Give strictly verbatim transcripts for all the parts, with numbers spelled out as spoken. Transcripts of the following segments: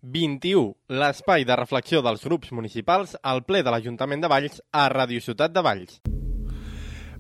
vint-i-u, l'espai de reflexió dels grups municipals al ple de l'Ajuntament de Valls a Ràdio Ciutat de Valls.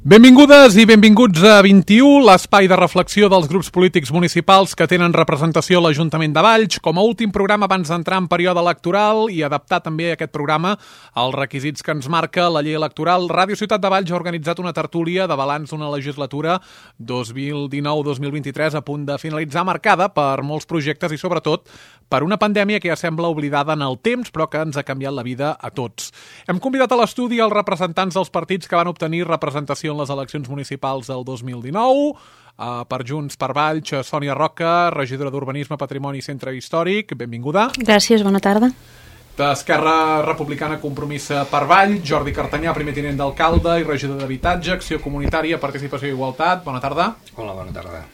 Benvingudes i benvinguts a vint-i-u, l'espai de reflexió dels grups polítics municipals que tenen representació a l'Ajuntament de Valls, com a últim programa abans d'entrar en període electoral i adaptar també aquest programa als requisits que ens marca la llei electoral. Ràdio Ciutat de Valls ha organitzat una tertúlia de balanç d'una legislatura dos mil dinou dos mil vint-i-tres a punt de finalitzar, marcada per molts projectes i sobretot per una pandèmia que ja sembla oblidada en el temps però que ens ha canviat la vida a tots. Hem convidat a l'estudi els representants dels partits que van obtenir representació en les eleccions municipals del dos mil dinou, uh, per Junts per Valls, Sònia Roca, regidora d'Urbanisme, Patrimoni i Centre Històric, benvinguda. Gràcies, bona tarda. D'Esquerra Republicana Compromís per Valls, Jordi Cartanyà, primer tinent d'alcalde i regidor d'Habitatge, Acció Comunitària, Participació i Igualtat, bona tarda. Hola, bona tarda.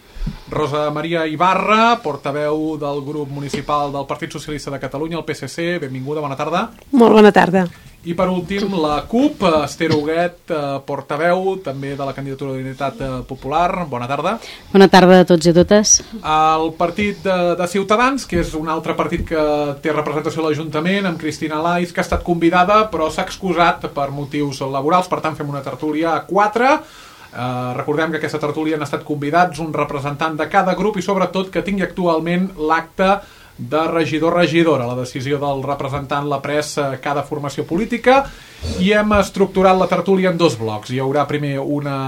Rosa Maria Ibarra, portaveu del grup municipal del Partit Socialista de Catalunya, el P S C, benvinguda, bona tarda. Molt bona tarda. I per últim, la CUP, Esther Huguet, portaveu també de la candidatura d'Unitat Popular, bona tarda. Bona tarda a tots i a totes. El partit de, de Ciutadans, que és un altre partit que té representació a l'Ajuntament, amb Cristina Lais, que ha estat convidada però s'ha excusat per motius laborals, per tant fem una tertúlia a quatre. Uh, recordem que aquesta tertúlia han estat convidats un representant de cada grup i sobretot que tingui actualment l'acte de regidor-regidora. La decisió del representant l'ha pres uh, cada formació política i hem estructurat la tertúlia en dos blocs. Hi haurà primer una...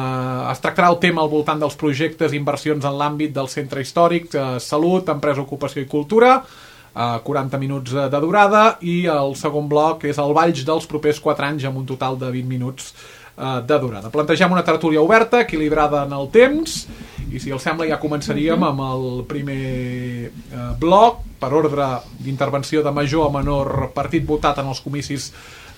es tractarà el tema al voltant dels projectes i inversions en l'àmbit del centre històric, uh, salut, empresa, ocupació i cultura, uh, quaranta minuts de durada, i el segon bloc és el Valls dels propers quatre anys amb un total de vint minuts de durada. Plantegem una tertúlia oberta, equilibrada en el temps, i si els sembla ja començaríem amb el primer eh, bloc, per ordre d'intervenció de major a menor partit votat en els comicis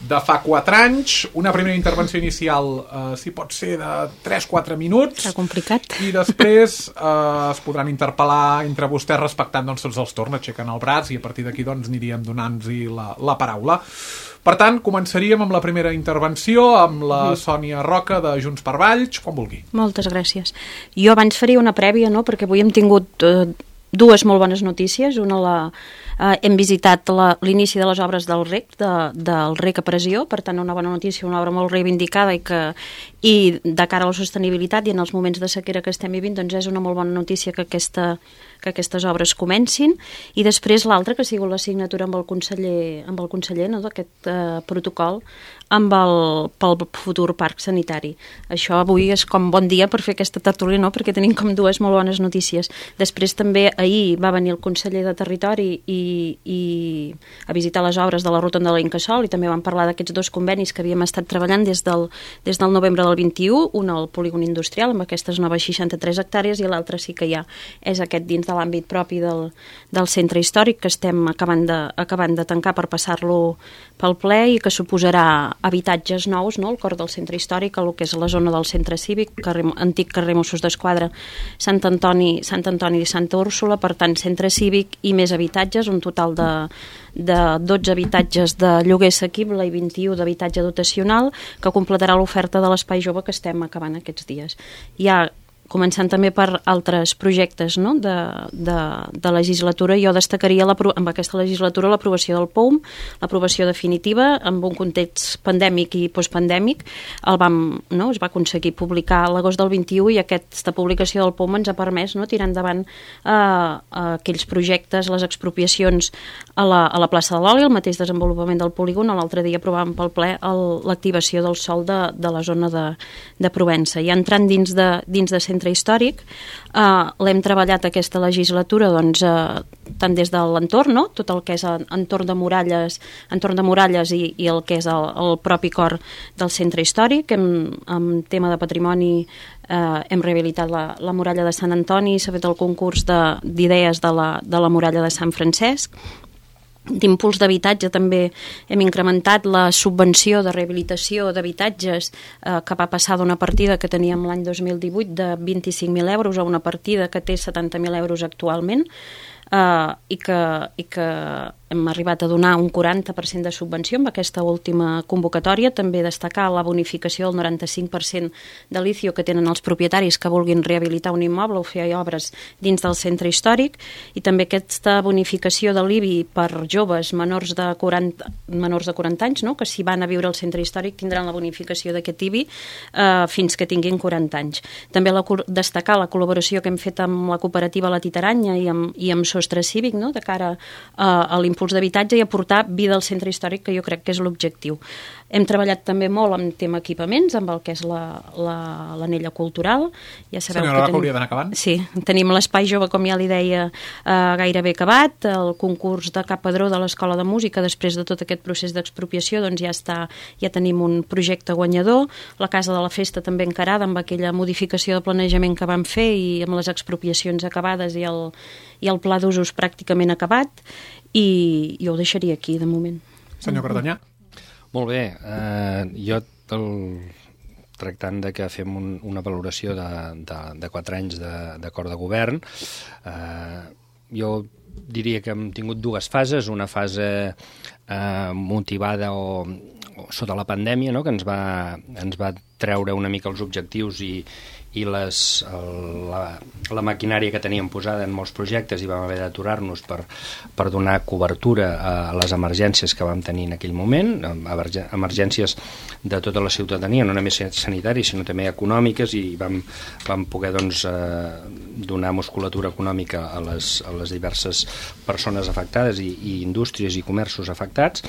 de fa quatre anys. Una primera intervenció inicial, eh, si pot ser de tres a quatre minuts. Està complicat. I després eh, es podran interpel·lar entre vostès respectant doncs, tots els torns, aixequen el braç i a partir d'aquí doncs, aniríem donant-los la, la paraula. Per tant, començaríem amb la primera intervenció amb la Sònia Roca de Junts per Valls, quan vulgui. Moltes gràcies. Jo abans faria una prèvia, no?, perquè avui hem tingut eh, dues molt bones notícies. Una, la, eh, hem visitat la, l'inici de les obres del R E C, de, del R E C a Pressió, per tant una bona notícia, una obra molt reivindicada i que i de cara a la sostenibilitat i en els moments de sequera que estem vivint, doncs és una molt bona notícia que aquesta que aquestes obres comencin, i després l'altra que ha sigut la signatura amb el conseller, amb el conseller no, d'aquest eh, protocol amb el, pel futur parc sanitari. Això avui és com bon dia per fer aquesta tertúlia, no? Perquè tenim com dues molt bones notícies. Després també ahir va venir el conseller de Territori i, i a visitar les obres de la Rotonda de l'Incasòl i també vam parlar d'aquests dos convenis que havíem estat treballant des del, des del novembre del vint-i-u, un al polígon industrial amb aquestes noves seixanta-tres hectàrees i l'altre sí que ja és aquest dins de l'àmbit propi del, del centre històric que estem acabant de, acabant de tancar per passar-lo pel ple i que suposarà habitatges nous, no?, al cor del centre històric, el que és la zona del centre cívic, carrer, antic carrer Mossos d'Esquadra, Sant Antoni, Sant Antoni i Santa Úrsula, per tant centre cívic i més habitatges, un total de, de dotze habitatges de lloguer assequible i vint-i-u d'habitatge dotacional que completarà l'oferta de l'espai jove que estem acabant aquests dies. Hi ha començant també per altres projectes, no?, de, de, de legislatura. Jo destacaria la, amb aquesta legislatura l'aprovació del P O U M, l'aprovació definitiva, amb un context pandèmic i postpandèmic. El vam, no?, es va aconseguir publicar a l'agost del vint-i-u i aquesta publicació del P O U M ens ha permès, no?, tirar endavant eh, aquells projectes, les expropiacions a la, a la plaça de l'Oli, el mateix desenvolupament del polígon. L'altre dia aprovàvem pel ple el, l'activació del sòl de, de la zona de, de Provença. I entrant dins de, dins de centre històric, eh, l'hem treballat aquesta legislatura doncs, eh, tant des de l'entorn, no?, tot el que és entorn de muralles, entorn de muralles i, i el que és el, el propi cor del centre històric. Hem, en tema de patrimoni eh, hem rehabilitat la, la muralla de Sant Antoni, s'ha fet el concurs de, d'idees de la, de la muralla de Sant Francesc. D'impuls d'habitatge també hem incrementat la subvenció de rehabilitació d'habitatges eh, que va passar d'una partida que teníem l'any dos mil divuit de vint-i-cinc mil euros a una partida que té setanta mil euros actualment. uh, i, que, i que hem arribat a donar un quaranta per cent de subvenció amb aquesta última convocatòria. També destacar la bonificació del noranta-cinc per cent de l'I C I O que tenen els propietaris que vulguin rehabilitar un immoble o fer obres dins del centre històric, i també aquesta bonificació de l'I B I per joves menors de quaranta, menors de quaranta anys, no? Que si van a viure al centre històric tindran la bonificació d'aquest I B I eh, fins que tinguin quaranta anys. També la, destacar la col·laboració que hem fet amb la cooperativa La Titaranya i amb, i amb Sostre Cívic, no? De cara a, a l'impuls d'habitatge i aportar vida al centre històric, que jo crec que és l'objectiu. Hem treballat també molt amb tema equipaments, amb el que és l'anella la, cultural. Ja sabeu Senyora, que tenim, hauria d'anar acabant. Sí, tenim l'espai jove, com ja li deia, eh, gairebé acabat. El concurs de Cap Padró de l'Escola de Música, després de tot aquest procés d'expropiació, doncs ja està, ja tenim un projecte guanyador. La Casa de la Festa també encarada amb aquella modificació de planejament que vam fer i amb les expropiacions acabades i el, i el pla d'usos pràcticament acabat. I jo ho deixaria aquí, de moment. Senyor Cartanyà. Molt bé. Eh, jo, el, tractant de que fem un, una valoració de, de, de quatre anys d'acord de, de govern, eh, jo diria que hem tingut dues fases. Una fase eh, motivada o, o sota la pandèmia, no?, que ens va, ens va treure una mica els objectius i, i les, el, la, la maquinària que teníem posada en molts projectes, i vam haver d'aturar-nos per, per donar cobertura a les emergències que vam tenir en aquell moment, emergències de tota la ciutadania, no només sanitaris sinó també econòmiques, i vam, vam poder doncs, eh, donar musculatura econòmica a les, a les diverses persones afectades i, i indústries i comerços afectats,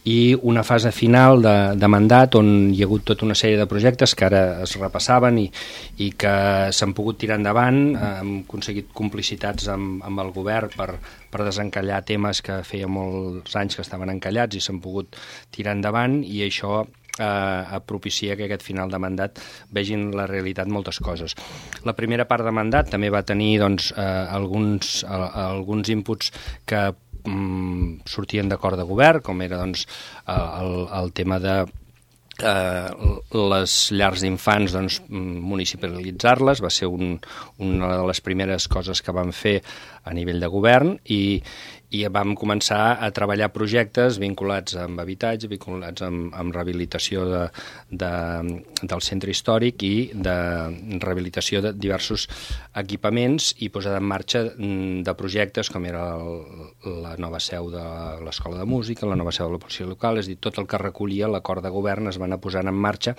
i una fase final de, de mandat on hi ha hagut tota una sèrie de projectes que ara es repassaven i, i que s'han pogut tirar endavant. Hem aconseguit complicitats amb, amb el govern per, per desencallar temes que feia molts anys que estaven encallats i s'han pogut tirar endavant, i això eh, propicia que aquest final de mandat vegin la realitat moltes coses. La primera part de mandat també va tenir doncs, eh, alguns, eh, alguns inputs que sortien d'acord de govern, com era doncs, el, el tema de eh, les llars d'infants, doncs, municipalitzar-les. Va ser un, una de les primeres coses que vam fer a nivell de govern, i, i vam començar a treballar projectes vinculats amb habitatge, vinculats amb, amb rehabilitació de, de, del centre històric i de rehabilitació de diversos equipaments, i posada en marxa de projectes com era el, la nova seu de l'Escola de Música, la nova seu de la policia local. És a dir, tot el que recollia l'acord de govern es va anar posant en marxa,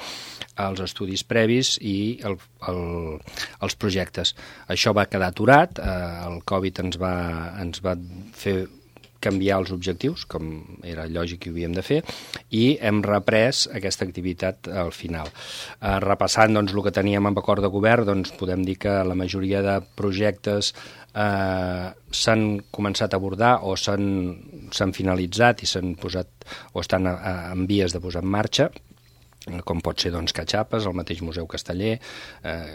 els estudis previs i el, el, els projectes. Això va quedar aturat, eh, el Covid ens va, ens va fer canviar els objectius, com era lògic que ho havíem de fer, i hem reprès aquesta activitat al final. Eh, repassant doncs, el que teníem amb acord de govern, doncs, podem dir que la majoria de projectes eh, s'han començat a abordar o s'han finalitzat i s'han posat o estan a, a, en vies de posar en marxa, com pot ser doncs, Catxapes, el mateix Museu Casteller, eh,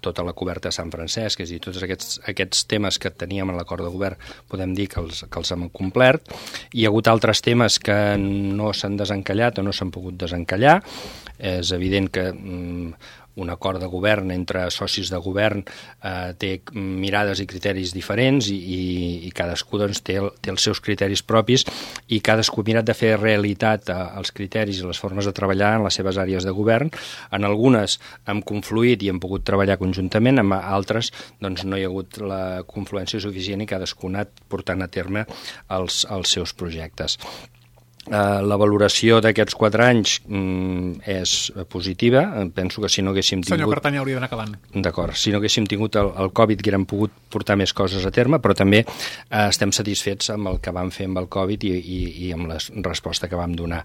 tota la coberta de Sant Francesc, és a dir, tots aquests, aquests temes que teníem en l'acord de govern podem dir que els, que els hem complert. Hi ha hagut altres temes que no s'han desencallat o no s'han pogut desencallar. És evident que mm, un acord de govern entre socis de govern eh, té mirades i criteris diferents, i, i, i cadascú doncs, té, el, té els seus criteris propis, i cadascú ha mirat de fer realitat eh, els criteris i les formes de treballar en les seves àrees de govern. En algunes hem confluït i hem pogut treballar conjuntament, en altres doncs, no hi ha hagut la confluència suficient i cadascú ha anat portant a terme els, els seus projectes. Uh, la valoració d'aquests quatre anys mm, és positiva. Penso que si no haguéssim tingut... Senyor Cartanyà, hauria d'anar acabant. D'acord. Si no haguéssim tingut el, el Covid, que haguérem pogut portar més coses a terme, però també uh, estem satisfets amb el que vam fer amb el Covid i, i, i amb la resposta que vam donar.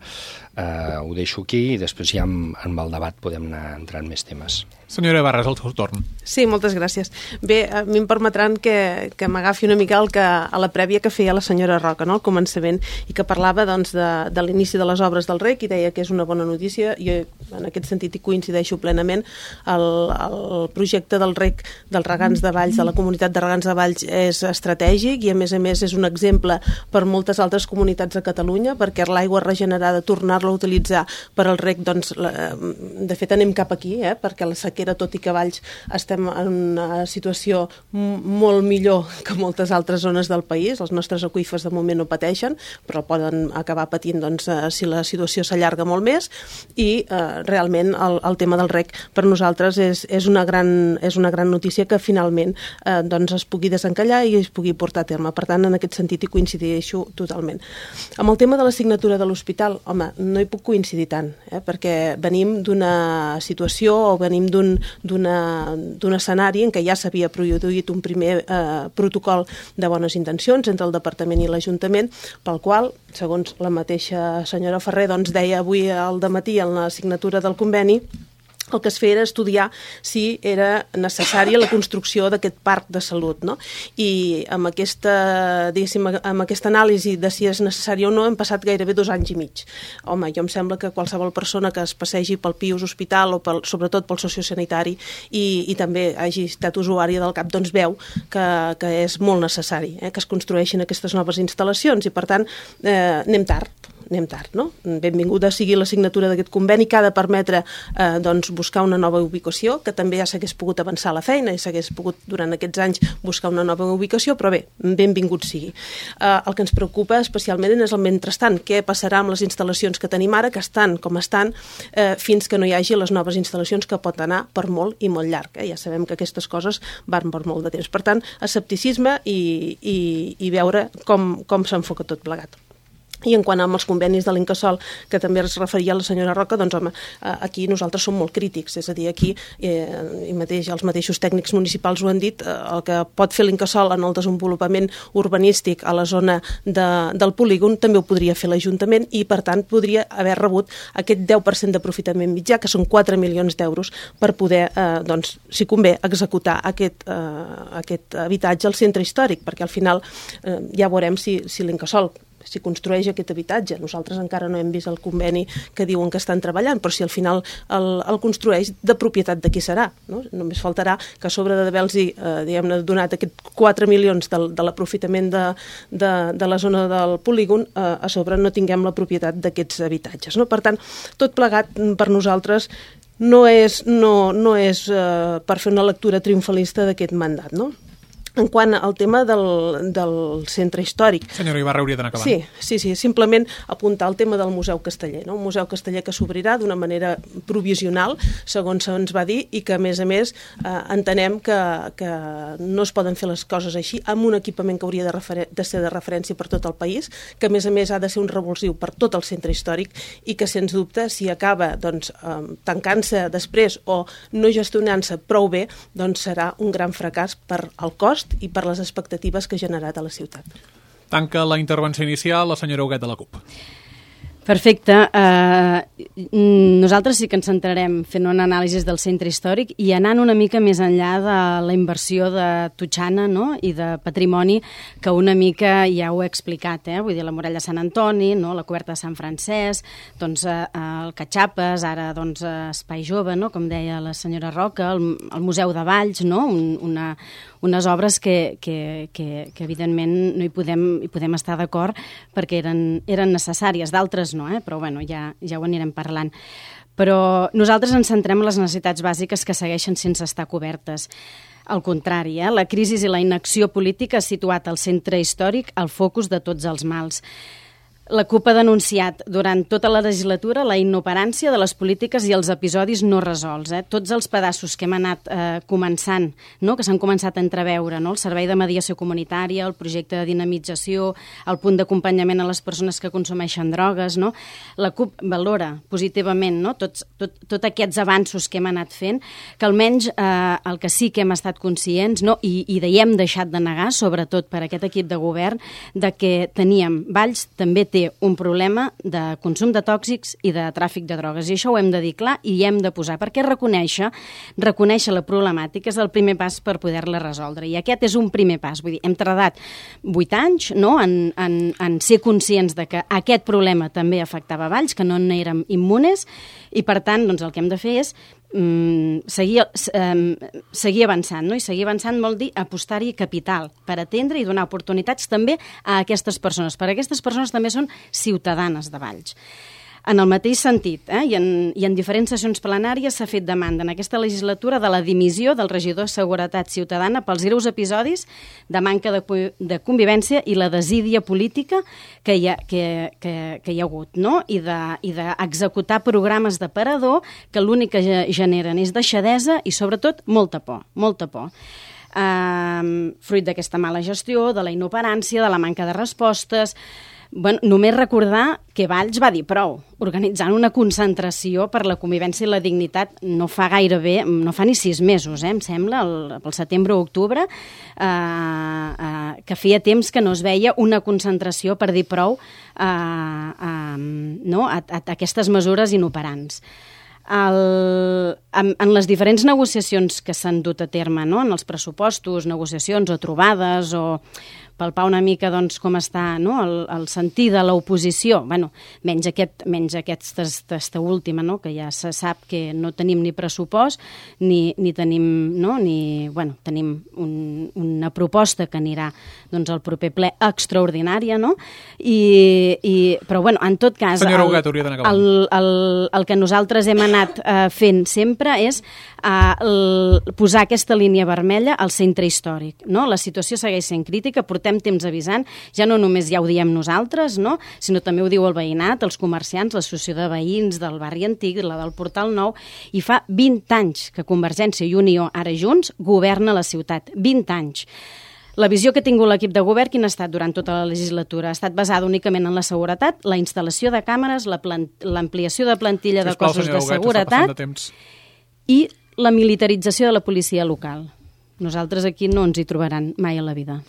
Uh, ho deixo aquí i després ja amb, amb el debat podem anar entrant més temes. Senyora Ibarra, és el seu torn. Sí, moltes gràcies. Bé, a mi em permetran que, que m'agafi una mica el que, a la prèvia que feia la senyora Roca, no?, al començament, i que parlava doncs, de, de l'inici de les obres del rec i deia que és una bona notícia. Jo en aquest sentit hi coincideixo plenament. El, el projecte del rec dels regants de Valls, de la comunitat de regants de Valls, és estratègic i a més a més és un exemple per moltes altres comunitats de Catalunya, perquè l'aigua regenerada, tornar-la a utilitzar per al rec, doncs, la, de fet anem cap aquí, eh? Perquè la sequera, tot i que a Valls estem en una situació molt millor que moltes altres zones del país, els nostres aqüífers de moment no pateixen, però poden acabar patint doncs, eh, si la situació s'allarga molt més i eh, realment el, el tema del rec per nosaltres és, és, una, gran, és una gran notícia que finalment eh, doncs es pugui desencallar i es pugui portar a terme. Per tant, en aquest sentit hi coincideixo totalment. Amb el tema de la signatura de l'hospital, home, no hi puc coincidir tant, eh, perquè venim d'una situació o venim d'un d'un escenari en què ja s'havia produït un primer eh, protocol de bones intencions entre el Departament i l'Ajuntament, pel qual, segons la mateixa senyora Ferrer, doncs deia avui al dematí en la signatura del conveni, el que es feia era estudiar si era necessària la construcció d'aquest parc de salut, no? I amb aquesta, diguéssim, amb aquesta anàlisi de si és necessari o no hem passat gairebé dos anys i mig. Home, jo em sembla que qualsevol persona que es passegi pel Pius Hospital o pel, sobretot pel sociosanitari i, i també hagi estat usuària del CAP, doncs veu que, que és molt necessari eh, que es construeixin aquestes noves instal·lacions i per tant eh, anem tard. anem tard, no? Benvinguda sigui la signatura d'aquest conveni que ha de permetre eh, doncs, buscar una nova ubicació, que també ja s'hagués pogut avançar la feina i s'hagués pogut durant aquests anys buscar una nova ubicació, però bé, benvingut sigui. Eh, el que ens preocupa especialment és el mentrestant, què passarà amb les instal·lacions que tenim ara, que estan com estan, eh, fins que no hi hagi les noves instal·lacions, que pot anar per molt i molt llarg. Eh? Ja sabem que aquestes coses van per molt de temps. Per tant, escepticisme i, i, i veure com, com s'enfoca tot plegat. I en quant als convenis de l'Incasòl, que també es referia a la senyora Roca, doncs home, aquí nosaltres som molt crítics, és a dir, aquí eh, i mateix, els mateixos tècnics municipals ho han dit, eh, el que pot fer l'Incasòl en el desenvolupament urbanístic a la zona de, del polígon també ho podria fer l'Ajuntament i per tant podria haver rebut aquest deu per cent d'aprofitament mitjà, que són quatre milions d'euros per poder, eh, doncs, si convé, executar aquest, eh, aquest habitatge al centre històric, perquè al final eh, ja veurem si, si l'Incasòl si construeix aquest habitatge. Nosaltres encara no hem vist el conveni que diuen que estan treballant, però si al final el, el construeix, de propietat de qui serà? No? Només faltarà que a sobre d'haver-los eh, donat aquests quatre milions de, de l'aprofitament de, de, de la zona del polígon, eh, a sobre no tinguem la propietat d'aquests habitatges. No? Per tant, tot plegat per nosaltres no és, no, no és eh, per fer una lectura triomfalista d'aquest mandat, no? En quant al tema del, del centre històric... Senyora Ibarra, hauria d'anar acabant. Sí, sí, sí, simplement apuntar el tema del Museu Casteller, no? Un museu casteller que s'obrirà d'una manera provisional, segons se'ns va dir, i que, a més a més, eh, entenem que, que no es poden fer les coses així, amb un equipament que hauria de, refer de ser de referència per tot el país, que, a més a més, ha de ser un revulsiu per tot el centre històric i que, sens dubte, si acaba doncs, eh, tancant-se després o no gestionant-se prou bé, doncs serà un gran fracàs per al cost i per les expectatives que ha generat a la ciutat. Tanca la intervenció inicial la senyora Huguet de la CUP. Perfecte. Uh, nosaltres sí que ens centrarem fent una anàlisi del centre històric i anant una mica més enllà de la inversió de Totxana, no? I de patrimoni, que una mica ja ho he explicat, eh? Vull dir, la muralla de Sant Antoni, no? La coberta de Sant Francesc, doncs, uh, el Catxapes, ara doncs, uh, Espai Jove, no? Com deia la senyora Roca, el, el Museu de Valls, no? Un, una, unes obres que, que, que, que evidentment no hi podem, hi podem estar d'acord perquè eren, eren necessàries, d'altres no, eh? Però bueno, ja, ja ho anirem parlant. Però nosaltres ens centrem en les necessitats bàsiques que segueixen sense estar cobertes. Al contrari, eh? La crisi i la inacció política ha situat el centre històric al focus de tots els mals. La CUP ha denunciat durant tota la legislatura la inoperància de les polítiques i els episodis no resolts. Eh? Tots els pedaços que hem anat eh, començant, no? Que s'han començat a entreveure, no? El servei de mediació comunitària, el projecte de dinamització, el punt d'acompanyament a les persones que consumeixen drogues, no? La CUP valora positivament, no? Tots tot, tot aquests avanços que hem anat fent, que almenys eh, el que sí que hem estat conscients, no? I, i hi hem deixat de negar, sobretot per aquest equip de govern, de que teníem, Valls també té també un problema de consum de tòxics i de tràfic de drogues, i això ho hem de dir clar i hi hem de posar, perquè reconèixer, reconèixer la problemàtica és el primer pas per poder-la resoldre, i aquest és un primer pas. Vull dir, hem tardat vuit anys, no?, en, en, en ser conscients de que aquest problema també afectava Valls, que no n'érem immunes, i per tant, doncs, el que hem de fer és mm, seguir, eh, seguir avançant, no? I seguir avançant vol dir apostar-hi capital per atendre i donar oportunitats també a aquestes persones, perquè aquestes persones també són ciutadanes de Valls. En el mateix sentit, eh, i, en, i en diferents sessions plenàries s'ha fet demanda en aquesta legislatura de la dimissió del regidor de Seguretat Ciutadana pels greus episodis de manca de, de convivència i la desídia política que hi ha, que, que, que hi ha hagut, no? I d'executar de, programes de parador que l'únic que generen és deixadesa i, sobretot, molta por, molta por. Uh, fruit d'aquesta mala gestió, de la inoperància, de la manca de respostes. Bueno, només recordar que Valls va dir prou, organitzant una concentració per la convivència i la dignitat no fa gaire bé, no fa ni sis mesos, eh, em sembla, el, el setembre o octubre, eh, eh, que feia temps que no es veia una concentració per dir prou eh, eh, no, a, a, a aquestes mesures inoperants. El, en, en les diferents negociacions que s'han dut a terme, no? En els pressupostos, negociacions o trobades, o palpar una mica doncs, com està, no? el, el sentir de l'oposició, bueno, menys, aquest, menys aquesta, aquesta última, no? Que ja se sap que no tenim ni pressupost, ni, ni tenim, no? ni, bueno, tenim un, una proposta que anirà doncs, al proper ple extraordinària, no? I, i, però bueno, en tot cas, el, el, el, el que nosaltres hem anat eh, fent sempre és eh, el, posar aquesta línia vermella al centre històric, no? La situació segueix sent crítica, portem temps avisant, ja no només ja ho diem nosaltres, no? Sinó també ho diu el veïnat, els comerciants, l'associació de veïns del barri antic, la del Portal Nou, i fa vint anys que Convergència i Unió, ara junts, governa la ciutat. vint anys. La visió que ha tingut l'equip de govern, quina ha estat durant tota la legislatura? Ha estat basada únicament en la seguretat, la instal·lació de càmeres, l'ampliació de plantilla de cossos de seguretat i la militarització de la policia local. Nosaltres aquí no ens hi trobaran mai a la vida.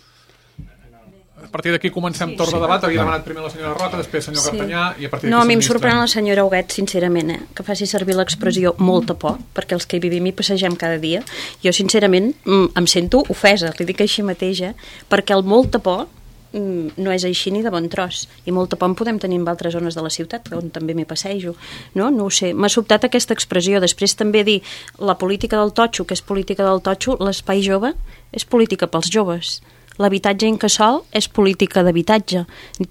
A partir d'aquí comencem sí, torn de debat. Havia demanat primer la senyora Roca, després el senyor sí. Cartanyà i a partir d'aquí... No, a mi em sorprèn la senyora Huguet, sincerament, eh, que faci servir l'expressió molta por, perquè els que hi vivim i passegem cada dia. Jo, sincerament, em sento ofesa, li dic així mateix, eh, perquè el molta por no és així ni de bon tros, i molta por en podem tenir en altres zones de la ciutat, on també m'hi passejo, no? No ho sé, m'ha sobtat aquesta expressió. Després també dir la política del totxo, que és política del totxo, l'espai jove és política pels joves. L'habitatge incasòl és política d'habitatge.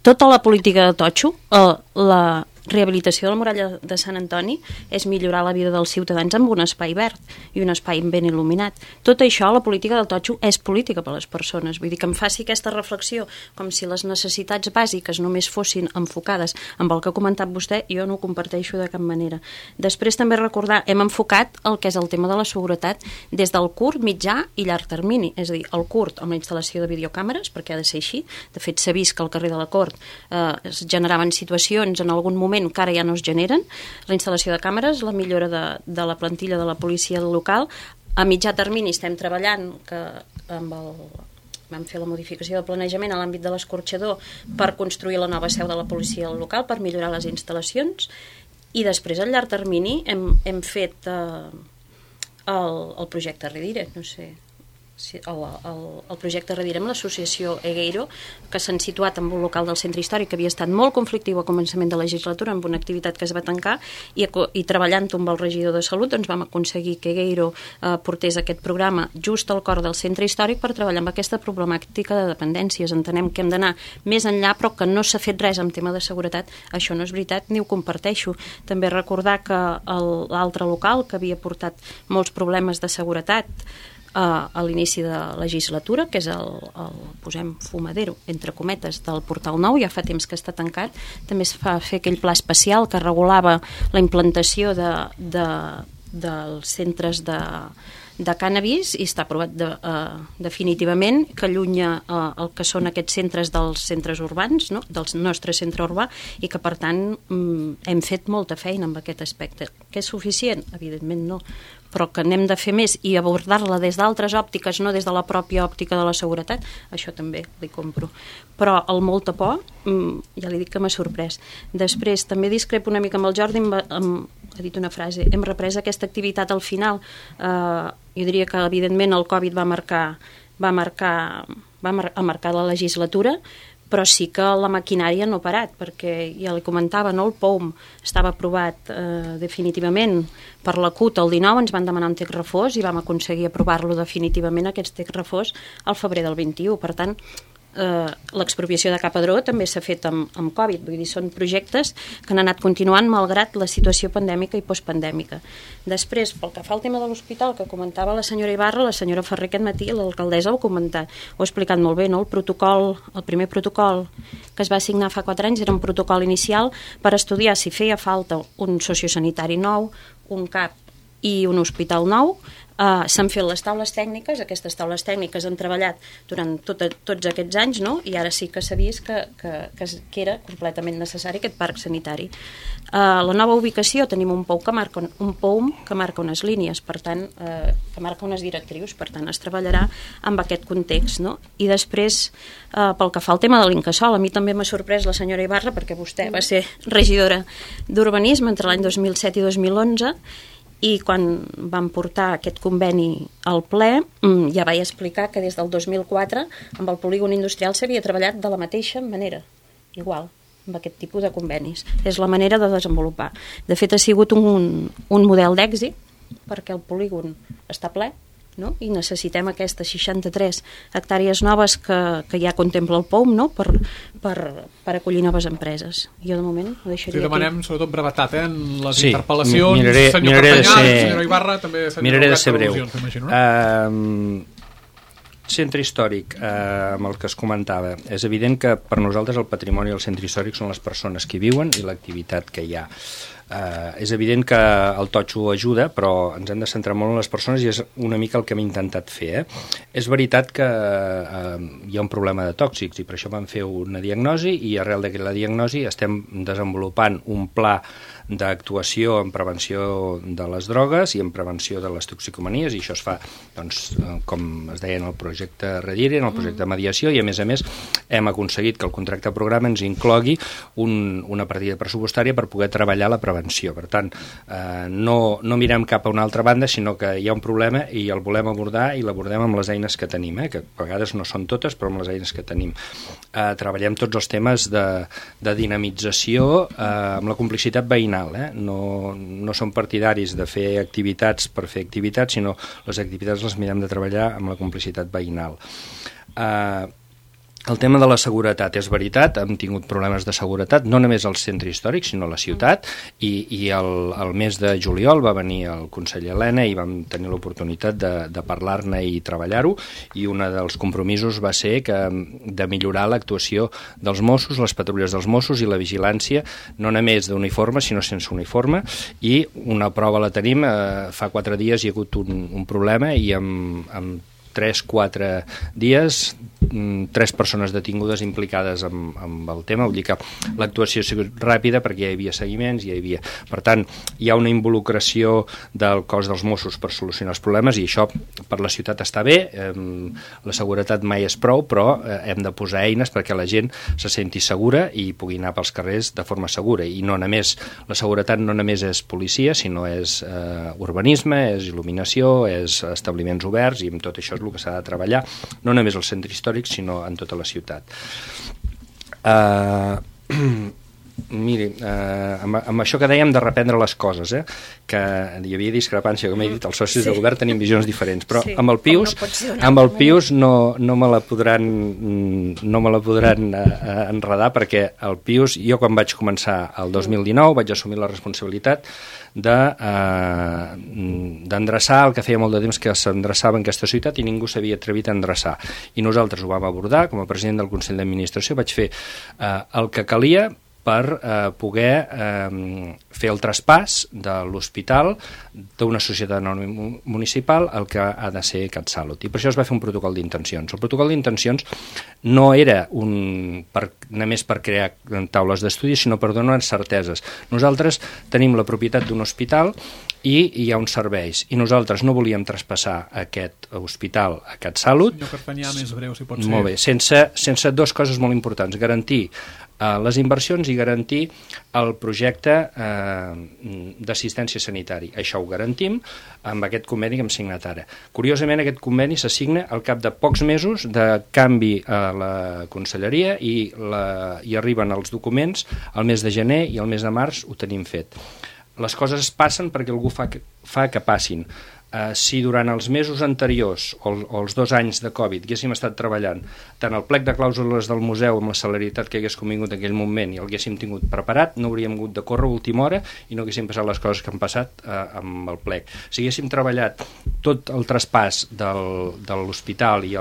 Tota la política de totxo, eh, la rehabilitació de la muralla de Sant Antoni és millorar la vida dels ciutadans amb un espai verd i un espai ben il·luminat. Tot això, la política del totxo, és política per a les persones. Vull dir que em faci aquesta reflexió com si les necessitats bàsiques només fossin enfocades amb el que ha comentat vostè, jo no ho comparteixo de cap manera. Després també recordar, hem enfocat el que és el tema de la seguretat des del curt, mitjà i llarg termini. És a dir, el curt amb la instal·lació de videocàmeres, perquè ha de ser així. De fet, s'ha vist que al carrer de la Cort eh, es generaven situacions en algun moment que ara ja no es generen, la instal·lació de càmeres, la millora de, de la plantilla de la policia local. A mitjà termini estem treballant que amb el, vam fer la modificació del planejament a l'àmbit de l'escorxador per construir la nova seu de la policia local, per millorar les instal·lacions, i després a llarg termini hem, hem fet eh, el, el projecte Redire, no sé... El, el, el projecte Redirem, l'associació Egueiro, que s'han situat en un local del centre històric que havia estat molt conflictiu a començament de legislatura amb una activitat que es va tancar, i, i treballant amb el regidor de Salut doncs vam aconseguir que Egueiro eh, portés aquest programa just al cor del centre històric per treballar amb aquesta problemàtica de dependències. Entenem que hem d'anar més enllà, però que no s'ha fet res en tema de seguretat, això no és veritat ni ho comparteixo. També recordar que l'altre local que havia portat molts problemes de seguretat a l'inici de la legislatura, que és el, el posem fumadero, entre cometes, del Portal Nou, ja fa temps que està tancat. També es fa fer aquell pla especial que regulava la implantació de, de, dels centres de, de cànnabis, i està aprovat de, uh, definitivament, que allunya uh, el que són aquests centres dels centres urbans, no? Del nostre centre urbà, i que per tant um, hem fet molta feina amb aquest aspecte. Que és suficient? Evidentment no, però que n'hem de fer més i abordar-la des d'altres òptiques, no des de la pròpia òptica de la seguretat, això també li compro. Però el molta por, ja li dic que m'ha sorprès. Després, també discrepo una mica amb el Jordi, amb, amb, ha dit una frase, hem reprès aquesta activitat al final. Eh, jo diria que, evidentment, el Covid va marcar, va marcar, va mar marcar la legislatura, però sí que la maquinària no ha parat, perquè ja li comentava, no? El P O U M estava aprovat eh, definitivament per la C U T el dinou, ens van demanar un text refós i vam aconseguir aprovar-lo definitivament, aquest text refós, al febrer del vint-i-u. Per tant, eh, l'expropiació de Capadró també s'ha fet amb, amb Covid, vull dir, són projectes que han anat continuant malgrat la situació pandèmica i postpandèmica. Després, pel que fa al tema de l'hospital, que comentava la senyora Ibarra, la senyora Ferrer aquest matí, l'alcaldessa ho ha comentat, ho ha explicat molt bé, no? El protocol, el primer protocol que es va signar fa quatre anys era un protocol inicial per estudiar si feia falta un sociosanitari nou, un CAP i un hospital nou. Uh, s'han fet les taules tècniques, aquestes taules tècniques han treballat durant tot, tots aquests anys, no? I ara sí que s'ha vist que, que, que, que era completament necessari aquest parc sanitari. Uh, la nova ubicació tenim un P O U que marca, un P O U que marca unes línies, per tant, uh, que marca unes directrius, per tant es treballarà amb aquest context, no? I després, uh, pel que fa al tema de l'Incasòl, a mi també m'ha sorprès la senyora Ibarra, perquè vostè va ser regidora d'Urbanisme entre l'any dos mil set i dos mil onze, i quan vam portar aquest conveni al ple ja vaig explicar que des del dos mil quatre amb el polígon industrial s'havia treballat de la mateixa manera, igual, amb aquest tipus de convenis. És la manera de desenvolupar. De fet, ha sigut un, un model d'èxit perquè el polígon està ple, no? I necessitem aquestes seixanta-tres hectàrees noves que, que ja contempla el P O U M, no? per, per, per acollir noves empreses. Jo de moment ho deixaria sí, demanem aquí. Sobretot brevetat, eh? En les sí, interpel·lacions, miraré, senyor miraré Pertanyà, ser, senyora Ibarra, també senyor miraré de ser breu. No? Uh, centre històric, eh, amb el que es comentava, és evident que per nosaltres el patrimoni del centre històric són les persones que hi viuen i l'activitat que hi ha. Uh, és evident que el totxo ajuda, però ens hem de centrar molt en les persones i és una mica el que hem intentat fer. Eh? És veritat que uh, hi ha un problema de tòxics i per això vam fer una diagnosi i arrel d'aquesta diagnosi estem desenvolupant un pla d'actuació en prevenció de les drogues i en prevenció de les toxicomanies, i això es fa, doncs, com es deia en el projecte Redire, en el projecte de mediació, i a més a més hem aconseguit que el contracte programa ens inclogui un, una partida pressupostària per poder treballar la prevenció. Per tant, eh, no, no mirem cap a una altra banda, sinó que hi ha un problema i el volem abordar i l'abordem amb les eines que tenim, eh, que a vegades no són totes, però amb les eines que tenim. Eh, treballem tots els temes de, de dinamització eh, amb la complicitat veïnal. Eh? No, no som partidaris de fer activitats per fer activitats, sinó les activitats les mirem de treballar amb la complicitat veïnal. Eh, El tema de la seguretat, és veritat, hem tingut problemes de seguretat, no només al centre històric, sinó a la ciutat, i, i el, el mes de juliol va venir el conseller Elena i vam tenir l'oportunitat de, de parlar-ne i treballar-ho, i un dels compromisos va ser que, de millorar l'actuació dels Mossos, les patrulles dels Mossos i la vigilància, no només d'uniforme, sinó sense uniforme, i una prova la tenim, eh, fa quatre dies hi ha hagut un, un problema i amb, amb tres, quatre dies, tres persones detingudes implicades amb, amb el tema, vull dir que l'actuació ha sigut ràpida perquè hi havia seguiments, hi havia... Per tant, hi ha una involucració del cos dels Mossos per solucionar els problemes i això per la ciutat està bé, eh, la seguretat mai és prou, però eh, hem de posar eines perquè la gent se senti segura i pugui anar pels carrers de forma segura, i no només, la seguretat no només és policia, sinó és eh, urbanisme, és il·luminació, és establiments oberts, i amb tot això és el que s'ha de treballar, no només al centre històric, sinó en tota la ciutat. Uh, miri, uh, amb, amb això que dèiem de reprendre les coses, eh, que hi havia discrepància, com he dit, els socis sí. de govern tenim visions diferents, però sí, amb el Pius, no amb el Pius no, no me la podran, no me la podran uh, enredar, perquè el Pius, jo quan vaig començar el dos mil dinou vaig assumir la responsabilitat de eh, d'endreçar el que feia molt de temps que s'endreçava en aquesta ciutat i ningú s'havia atrevit a endreçar, i nosaltres ho vam abordar. Com a president del Consell d'Administració vaig fer eh, el que calia per eh, poder eh, fer el traspàs de l'hospital d'una societat anònima municipal al que ha de ser CatSalut. I per això es va fer un protocol d'intencions. El protocol d'intencions no era un, per, només per crear taules d'estudi, sinó per donar certeses. Nosaltres tenim la propietat d'un hospital i hi ha uns serveis. I nosaltres no volíem traspassar aquest hospital a CatSalut. Senyor Cartanyà, més breu, si pot ser. Molt bé, sense, sense dues coses molt importants. Garantir eh, les inversions i garantir el projecte eh, d'assistència sanitària. Això ho garantim amb aquest conveni que hem signat ara. Curiosament, aquest conveni s'assigna al cap de pocs mesos de canvi a la conselleria i, la, i arriben els documents al mes de gener i al mes de març ho tenim fet. Les coses passen perquè algú fa que, fa que passin. Uh, si durant els mesos anteriors o, o els dos anys de Covid haguéssim estat treballant tant el plec de clàusules del museu amb la celeritat que hagués convingut en aquell moment i el haguéssim tingut preparat, no hauríem hagut de córrer a última hora i no haguéssim passat les coses que han passat uh, amb el plec. Si haguéssim treballat tot el traspàs del, de l'hospital i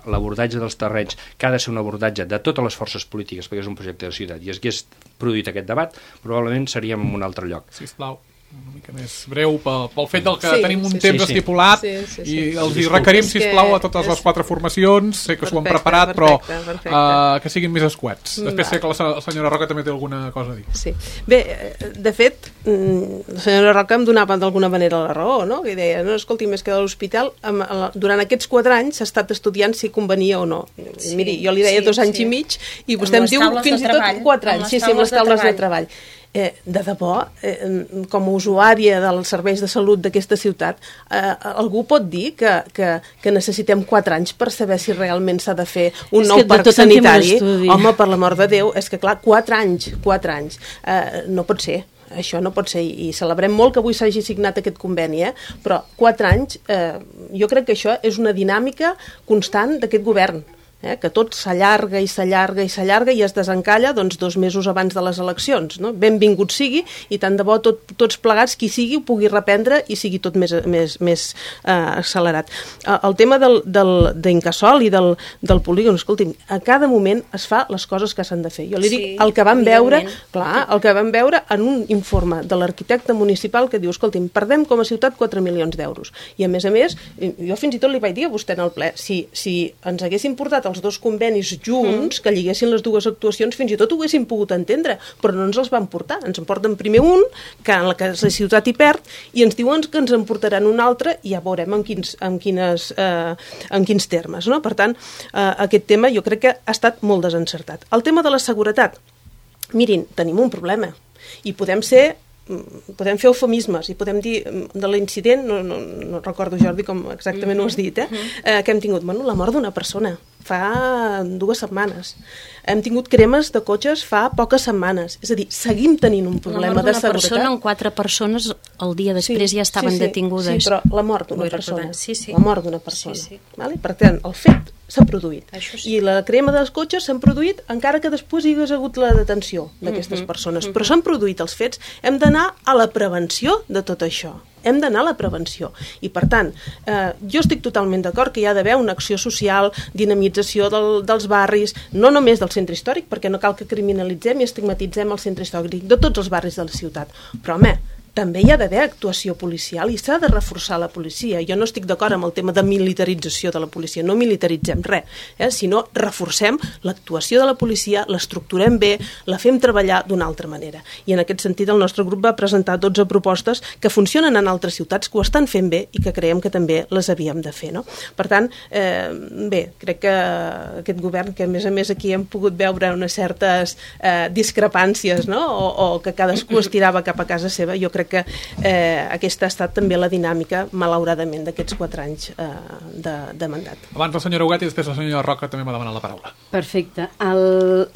l'abordatge dels terrenys, que ha de ser un abordatge de totes les forces polítiques perquè és un projecte de ciutat, i es hagués produït aquest debat, probablement seríem en un altre lloc. Sisplau, una mica més breu pel, pel fet del que sí, tenim un sí, temps sí, sí. estipulat sí, sí, sí. i els hi Sí, requerim, sí. sisplau, a És totes que les quatre formacions, sé que s'ho han Perfecte, preparat, perfecte, però perfecte. uh, que siguin més escuets. Després Va. sé que la, la senyora Roca també té alguna cosa a dir. Sí. Bé, eh, de fet, mm, la senyora Roca em donava d'alguna manera la raó, no? Que deia, no, escolti, més que de l'hospital, amb- la- durant aquests quatre anys s'ha estat estudiant si convenia o no. Sí, Miri, jo li deia sí, dos anys sí. i mig i Amb vostè em les diu taules fins de i tot treball, quatre amb anys. les Sí, sí, amb les taules de taules de treball. treball. Eh, de debò, eh, com a usuària dels serveis de salut d'aquesta ciutat, eh, algú pot dir que, que, que necessitem quatre anys per saber si realment s'ha de fer un És nou que de parc tot en fem un sanitari? estudi. Home, per l'amor de Déu, és que clar, quatre anys, quatre anys, eh, no pot ser. Això no pot ser, i celebrem molt que avui s'hagi signat aquest conveni, eh? Però quatre anys, eh, jo crec que això és una dinàmica constant d'aquest govern, eh? Que tot s'allarga i s'allarga i s'allarga i es desencalla doncs, dos mesos abans de les eleccions. No? Benvingut sigui, i tant de bo tot, tots plegats, qui sigui, ho pugui reprendre i sigui tot més, més, més eh, accelerat. Eh, el tema del, del, d'Incasòl i del, del polígon, escolti'm, a cada moment es fa les coses que s'han de fer. Jo li dic, Sí, el que vam veure, evidentment. clar, el que vam veure en un informe de l'arquitecte municipal que diu, escolti'm, perdem com a ciutat quatre milions d'euros. I a més a més, jo fins i tot li vaig dir a vostè en el ple, si, si ens haguessin portat els dos convenis junts, mm. que lliguessin les dues actuacions, fins i tot ho haguéssim pogut entendre, però no ens els van portar. Ens en porten primer un, que en la que la ciutat hi perd, i ens diuen que ens en portaran un altre, i ja veurem en quins, en quines, eh, en quins termes. No? Per tant, eh, aquest tema jo crec que ha estat molt desencertat. El tema de la seguretat. Mirin, tenim un problema, i podem ser podem fer eufemismes i podem dir de l'incident, no, no, no recordo, Jordi, com exactament ho has dit, eh? Eh, que hem tingut, bueno, la mort d'una persona fa dues setmanes. Hem tingut cremes de cotxes fa poques setmanes. És a dir, seguim tenint un problema de La mort d'una seguretat. persona, en quatre persones el dia després Sí, ja estaven sí, sí, detingudes. Sí, però la mort d'una Vull persona. recordar. Sí, sí. La mort d'una persona. Sí, sí. Vale? Per tant, el fet s'ha produït. Això sí. I la crema dels cotxes s'han produït encara que després hi hagués hagut la detenció d'aquestes Mhm, persones. Però s'han produït els fets. Hem d'anar a la prevenció de tot això. Hem d'anar a la prevenció. I, per tant, eh, jo estic totalment d'acord que hi ha d'haver una acció social, dinamització del, dels barris, no només del centre històric, perquè no cal que criminalitzem i estigmatitzem el centre històric, de tots els barris de la ciutat. Però, home, també hi ha d'haver actuació policial i s'ha de reforçar la policia. Jo no estic d'acord amb el tema de militarització de la policia, no militaritzem res, eh? Sinó reforcem l'actuació de la policia, l'estructurem bé, la fem treballar d'una altra manera. I en aquest sentit el nostre grup va presentar dotze propostes que funcionen en altres ciutats, que ho estan fent bé i que creiem que també les havíem de fer. No? Per tant, eh, bé, crec que aquest govern, que a més a més aquí hem pogut veure unes certes eh, discrepàncies, no? o, o que cadascú es tirava cap a casa seva, jo crec que eh, aquesta ha estat també la dinàmica, malauradament, d'aquests quatre anys eh, de, de mandat. Abans la senyora Huguet i després la senyora Roca també m'ha demanat la paraula. Perfecte. El...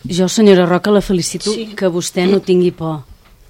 Jo, senyora Roca, la felicito Sí. que vostè no tingui por.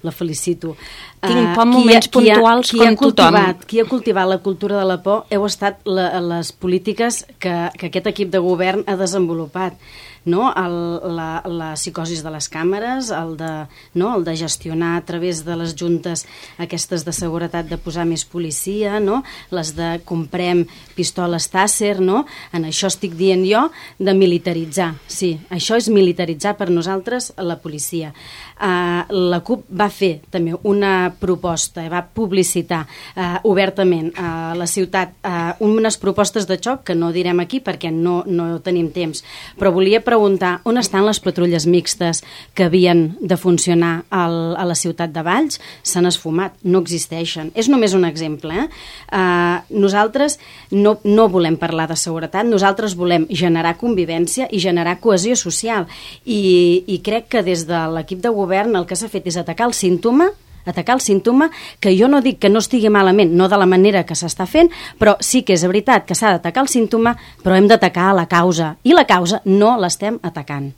La felicito. Tinc por en qui moments ha- qui ha- puntuals qui com ha cultivat, tothom. Qui ha cultivat la cultura de la por heu estat la, les polítiques que, que aquest equip de govern ha desenvolupat. No? El, la, la psicosis de les càmeres, el de, no? el de gestionar a través de les juntes aquestes de seguretat de posar més policia, no? Les de comprem pistoles Taser, no? En això estic dient jo de militaritzar, sí, això és militaritzar per nosaltres la policia. Uh, la CUP va fer també una proposta, va publicitar uh, obertament a la ciutat uh, unes propostes de xoc que no direm aquí perquè no, no tenim temps, però volia preguntar preguntar on estan les patrulles mixtes que havien de funcionar al, a la ciutat de Valls. S'han esfumat, no existeixen. És només un exemple. Eh? Uh, nosaltres no, no volem parlar de seguretat, nosaltres volem generar convivència i generar cohesió social. I, i crec que des de l'equip de govern el que s'ha fet és atacar el símptoma atacar el símptoma, que jo no dic que no estigui malament, no de la manera que s'està fent, però sí que és veritat que s'ha d'atacar el símptoma, però hem d'atacar la causa, i la causa no l'estem atacant.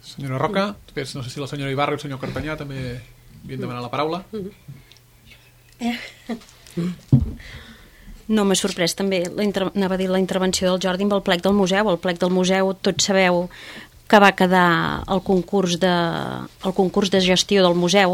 Senyora Roca, després no sé si la senyora Ibarra i el senyor Cartanyà també havien demanat la paraula. No m'ha sorprès també, la inter... anava a dir la intervenció del Jordi amb el plec del museu. El plec del museu, tots sabeu que va quedar el concurs de, el concurs de gestió del museu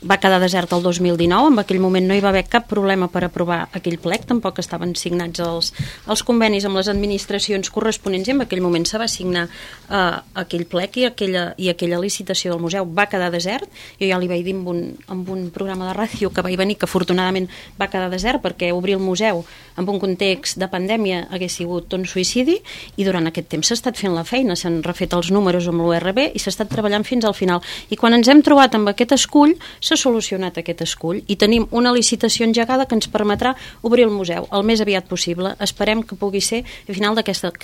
va quedar desert el dos mil dinou. En aquell moment no hi va haver cap problema per aprovar aquell plec, tampoc estaven signats els, els convenis amb les administracions corresponents, i en aquell moment se va signar eh, aquell plec i aquella, i aquella licitació del museu va quedar desert. Jo ja li vaig dir amb un, amb un programa de ràdio que vaig venir que afortunadament va quedar desert, perquè obrir el museu en un context de pandèmia hagués sigut un suïcidi, i durant aquest temps s'ha estat fent la feina, s'han refet els números amb l'U R B i s'ha estat treballant fins al final. I quan ens hem trobat amb aquest escull, s'ha solucionat aquest escull i tenim una licitació engegada que ens permetrà obrir el museu el més aviat possible. Esperem que pugui ser a final d'aquesta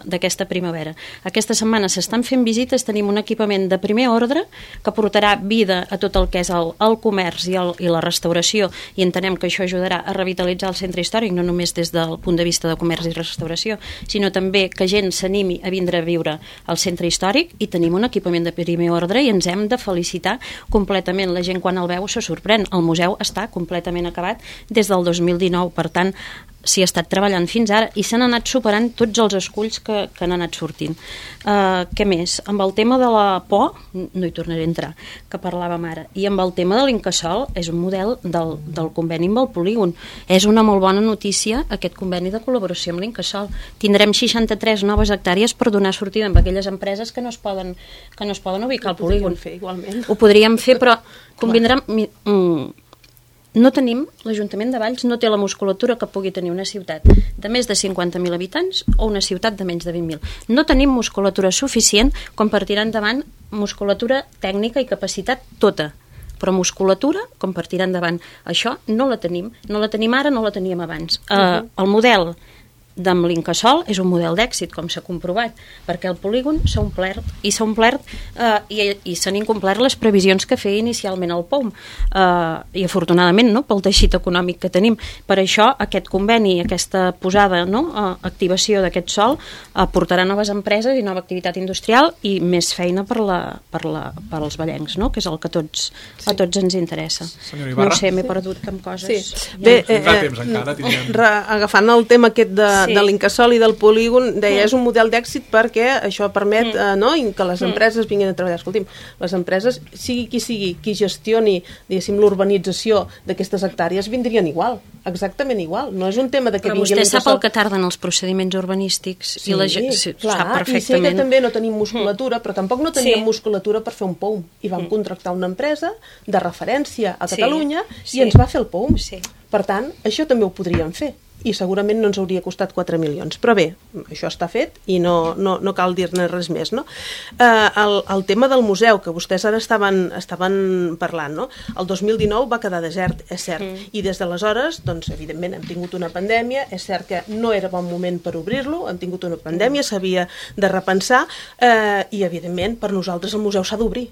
d'aquesta primavera. Aquesta setmana s'estan fent visites, tenim un equipament de primer ordre que portarà vida a tot el que és el, el comerç i, el, i la restauració, i entenem que això ajudarà a revitalitzar el centre històric, no només des del punt de vista de comerç i restauració, sinó també que gent s'animi a vindre a viure al centre històric, i tenim un equipament de primer ordre i ens hem de felicitar completament. La gent quan el veu se sorprèn. El museu està completament acabat des del dos mil dinou, per tant s'hi ha estat treballant fins ara i s'han anat superant tots els esculls que, que han anat sortint. Uh, què més? Amb el tema de la por, no hi tornaré a entrar, que parlàvem ara, i amb el tema de l'Incasòl, és un model del, del conveni amb el polígon. És una molt bona notícia aquest conveni de col·laboració amb l'Incasòl. Tindrem seixanta-tres noves hectàrees per donar sortida amb aquelles empreses que no es poden, que no es poden ubicar al polígon. Fer, igualment. Ho podríem fer, però convindrem... Mm, no tenim, l'Ajuntament de Valls no té la musculatura que pugui tenir una ciutat de més de cinquanta mil habitants o una ciutat de menys de vint mil. No tenim musculatura suficient com per tirar endavant musculatura tècnica i capacitat tota, però musculatura com per tirar endavant. Això no la tenim, no la tenim ara, no la teníem abans. Uh, el model d'amb l'Incasòl és un model d'èxit, com s'ha comprovat, perquè el polígon s'ha omplert i s'ha omplert eh, i, i s'han incomplert les previsions que feia inicialment el P O M, eh, i afortunadament no, pel teixit econòmic que tenim. Per això aquest conveni, aquesta posada, no, eh, activació d'aquest sòl eh, portarà noves empreses i nova activitat industrial i més feina per, la, per, la, per als vallencs, no, que és el que tots, sí. a tots ens interessa. No ho sé, m'he sí. perdut amb coses. Sí. Bé, eh, eh, temps encara, re, agafant el tema aquest de sí. de l'Incasòl i del polígon, deia, és un model d'èxit perquè això permet eh, no, que les empreses vinguin a treballar. Escolti'm, les empreses, sigui qui sigui, qui gestioni, diguéssim, l'urbanització d'aquestes hectàrees, vindrien igual, exactament igual. No és un tema de que però vingui l'Incasòl... Però vostè sap el que tarden els procediments urbanístics, sí, i la gent sí, clar, sap perfectament. I sé que també no tenim musculatura, però tampoc no teníem sí. musculatura per fer un P O M, i vam mm. contractar una empresa de referència a Catalunya sí. Sí. i ens va fer el P O M. Sí. Per tant, això també ho podríem fer. I segurament no ens hauria costat quatre milions. Però bé, això està fet i no, no, no cal dir-ne res més, no? Eh, el, el tema del museu, que vostès ara estaven, estaven parlant, no? El dos mil dinou va quedar desert, és cert, mm. i des d'aleshores, doncs, evidentment, hem tingut una pandèmia, és cert que no era bon moment per obrir-lo, hem tingut una pandèmia, s'havia de repensar, eh, i, evidentment, per nosaltres el museu s'ha d'obrir.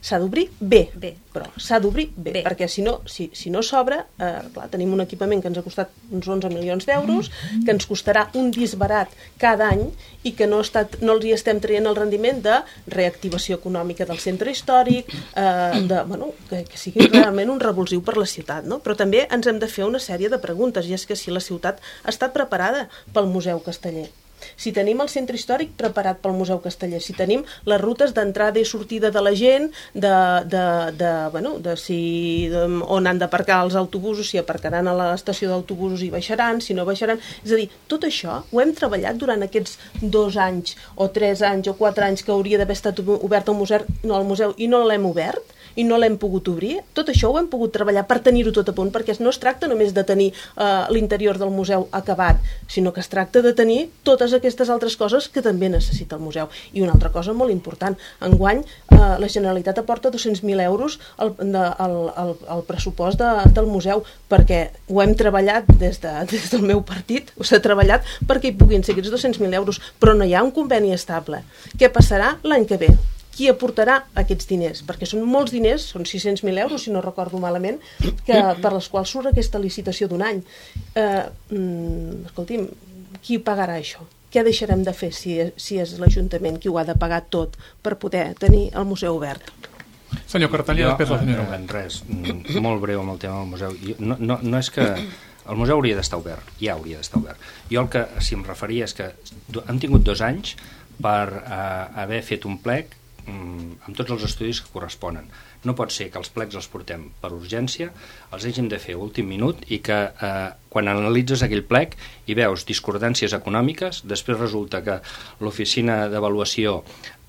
S'ha d'obrir bé, bé, però s'ha d'obrir bé, bé, perquè si no, si, si no s'obre, eh, clar, tenim un equipament que ens ha costat uns onze milions d'euros, que ens costarà un disbarat cada any i que no, estat, no els hi estem traient el rendiment de reactivació econòmica del centre històric, eh, de, bueno, que, que sigui realment un revulsiu per la ciutat, no? Però també ens hem de fer una sèrie de preguntes, i és que si la ciutat ha estat preparada pel Museu Casteller, si tenim el centre històric preparat pel Museu Casteller, si tenim les rutes d'entrada i sortida de la gent, de, de, de, bueno, de si de, on han d'aparcar els autobusos, si aparcaran a l'estació d'autobusos i baixaran, si no baixaran, és a dir, tot això ho hem treballat durant aquests dos anys o tres anys o quatre anys que hauria d'haver estat obert el museu, no, el museu i no l'hem obert i no l'hem pogut obrir. Tot això ho hem pogut treballar per tenir-ho tot a punt, perquè no es tracta només de tenir eh, l'interior del museu acabat, sinó que es tracta de tenir totes aquestes altres coses que també necessita el museu. I una altra cosa molt important, enguany eh, la Generalitat aporta dos-cents mil euros al, de, al, al, al pressupost de, del museu, perquè ho hem treballat des, de, des del meu partit, s'ha treballat perquè hi puguin ser aquests dos-cents mil euros, però no hi ha un conveni estable. Què passarà l'any que ve? Qui aportarà aquests diners? Perquè són molts diners, són sis-cents mil euros, si no recordo malament, que, per les quals surt aquesta licitació d'un any. Eh, mm, escolti'm, qui pagarà això? Què deixarem de fer si, si és l'Ajuntament qui ho ha de pagar tot per poder tenir el museu obert? Senyor Cartellà, després la senyora. No, res, molt breu amb el tema del museu. No, no, no és que el museu hauria d'estar obert, ja hauria d'estar obert. Jo el que, si em referia, és que hem tingut dos anys per eh, haver fet un plec amb tots els estudis que corresponen. No pot ser que els plecs els portem per urgència, els hàgim de fer a últim minut i que eh, quan analitzes aquell plec i veus discordàncies econòmiques, després resulta que l'oficina d'avaluació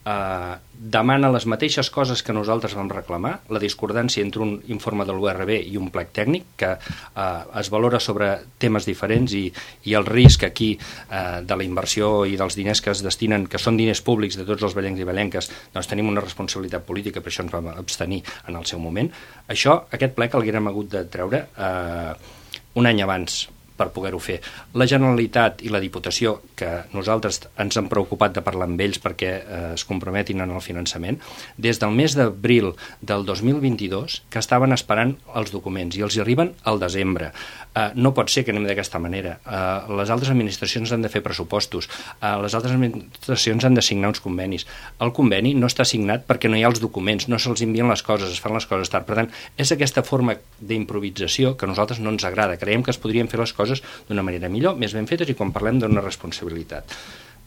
eh, demana les mateixes coses que nosaltres vam reclamar, la discordància entre un informe de l'U R B i un plec tècnic que eh, es valora sobre temes diferents i, i el risc aquí eh, de la inversió i dels diners que es destinen, que són diners públics de tots els ballencs i ballenques, doncs tenim una responsabilitat política, per això ens vam abstenir en el seu moment. Això, aquest plec l'haguérem hagut de treure eh, un any abans per poder-ho fer. La Generalitat i la Diputació, que nosaltres ens hem preocupat de parlar amb ells perquè eh, es comprometin en el finançament, des del mes d'abril del dos mil vint-i-dos que estaven esperant els documents i els hi arriben al desembre. Eh, no pot ser que anem d'aquesta manera. Eh, les altres administracions han de fer pressupostos, eh, les altres administracions han de signar uns convenis. El conveni no està signat perquè no hi ha els documents, no se'ls envien les coses, es fan les coses tard. Per tant, és aquesta forma d'improvisació que a nosaltres no ens agrada. Creiem que es podrien fer les coses d'una manera millor, més ben fetes i quan parlem d'una responsabilitat.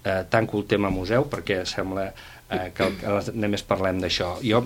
Eh, tanco el tema museu perquè sembla eh, que, que només parlem d'això. Jo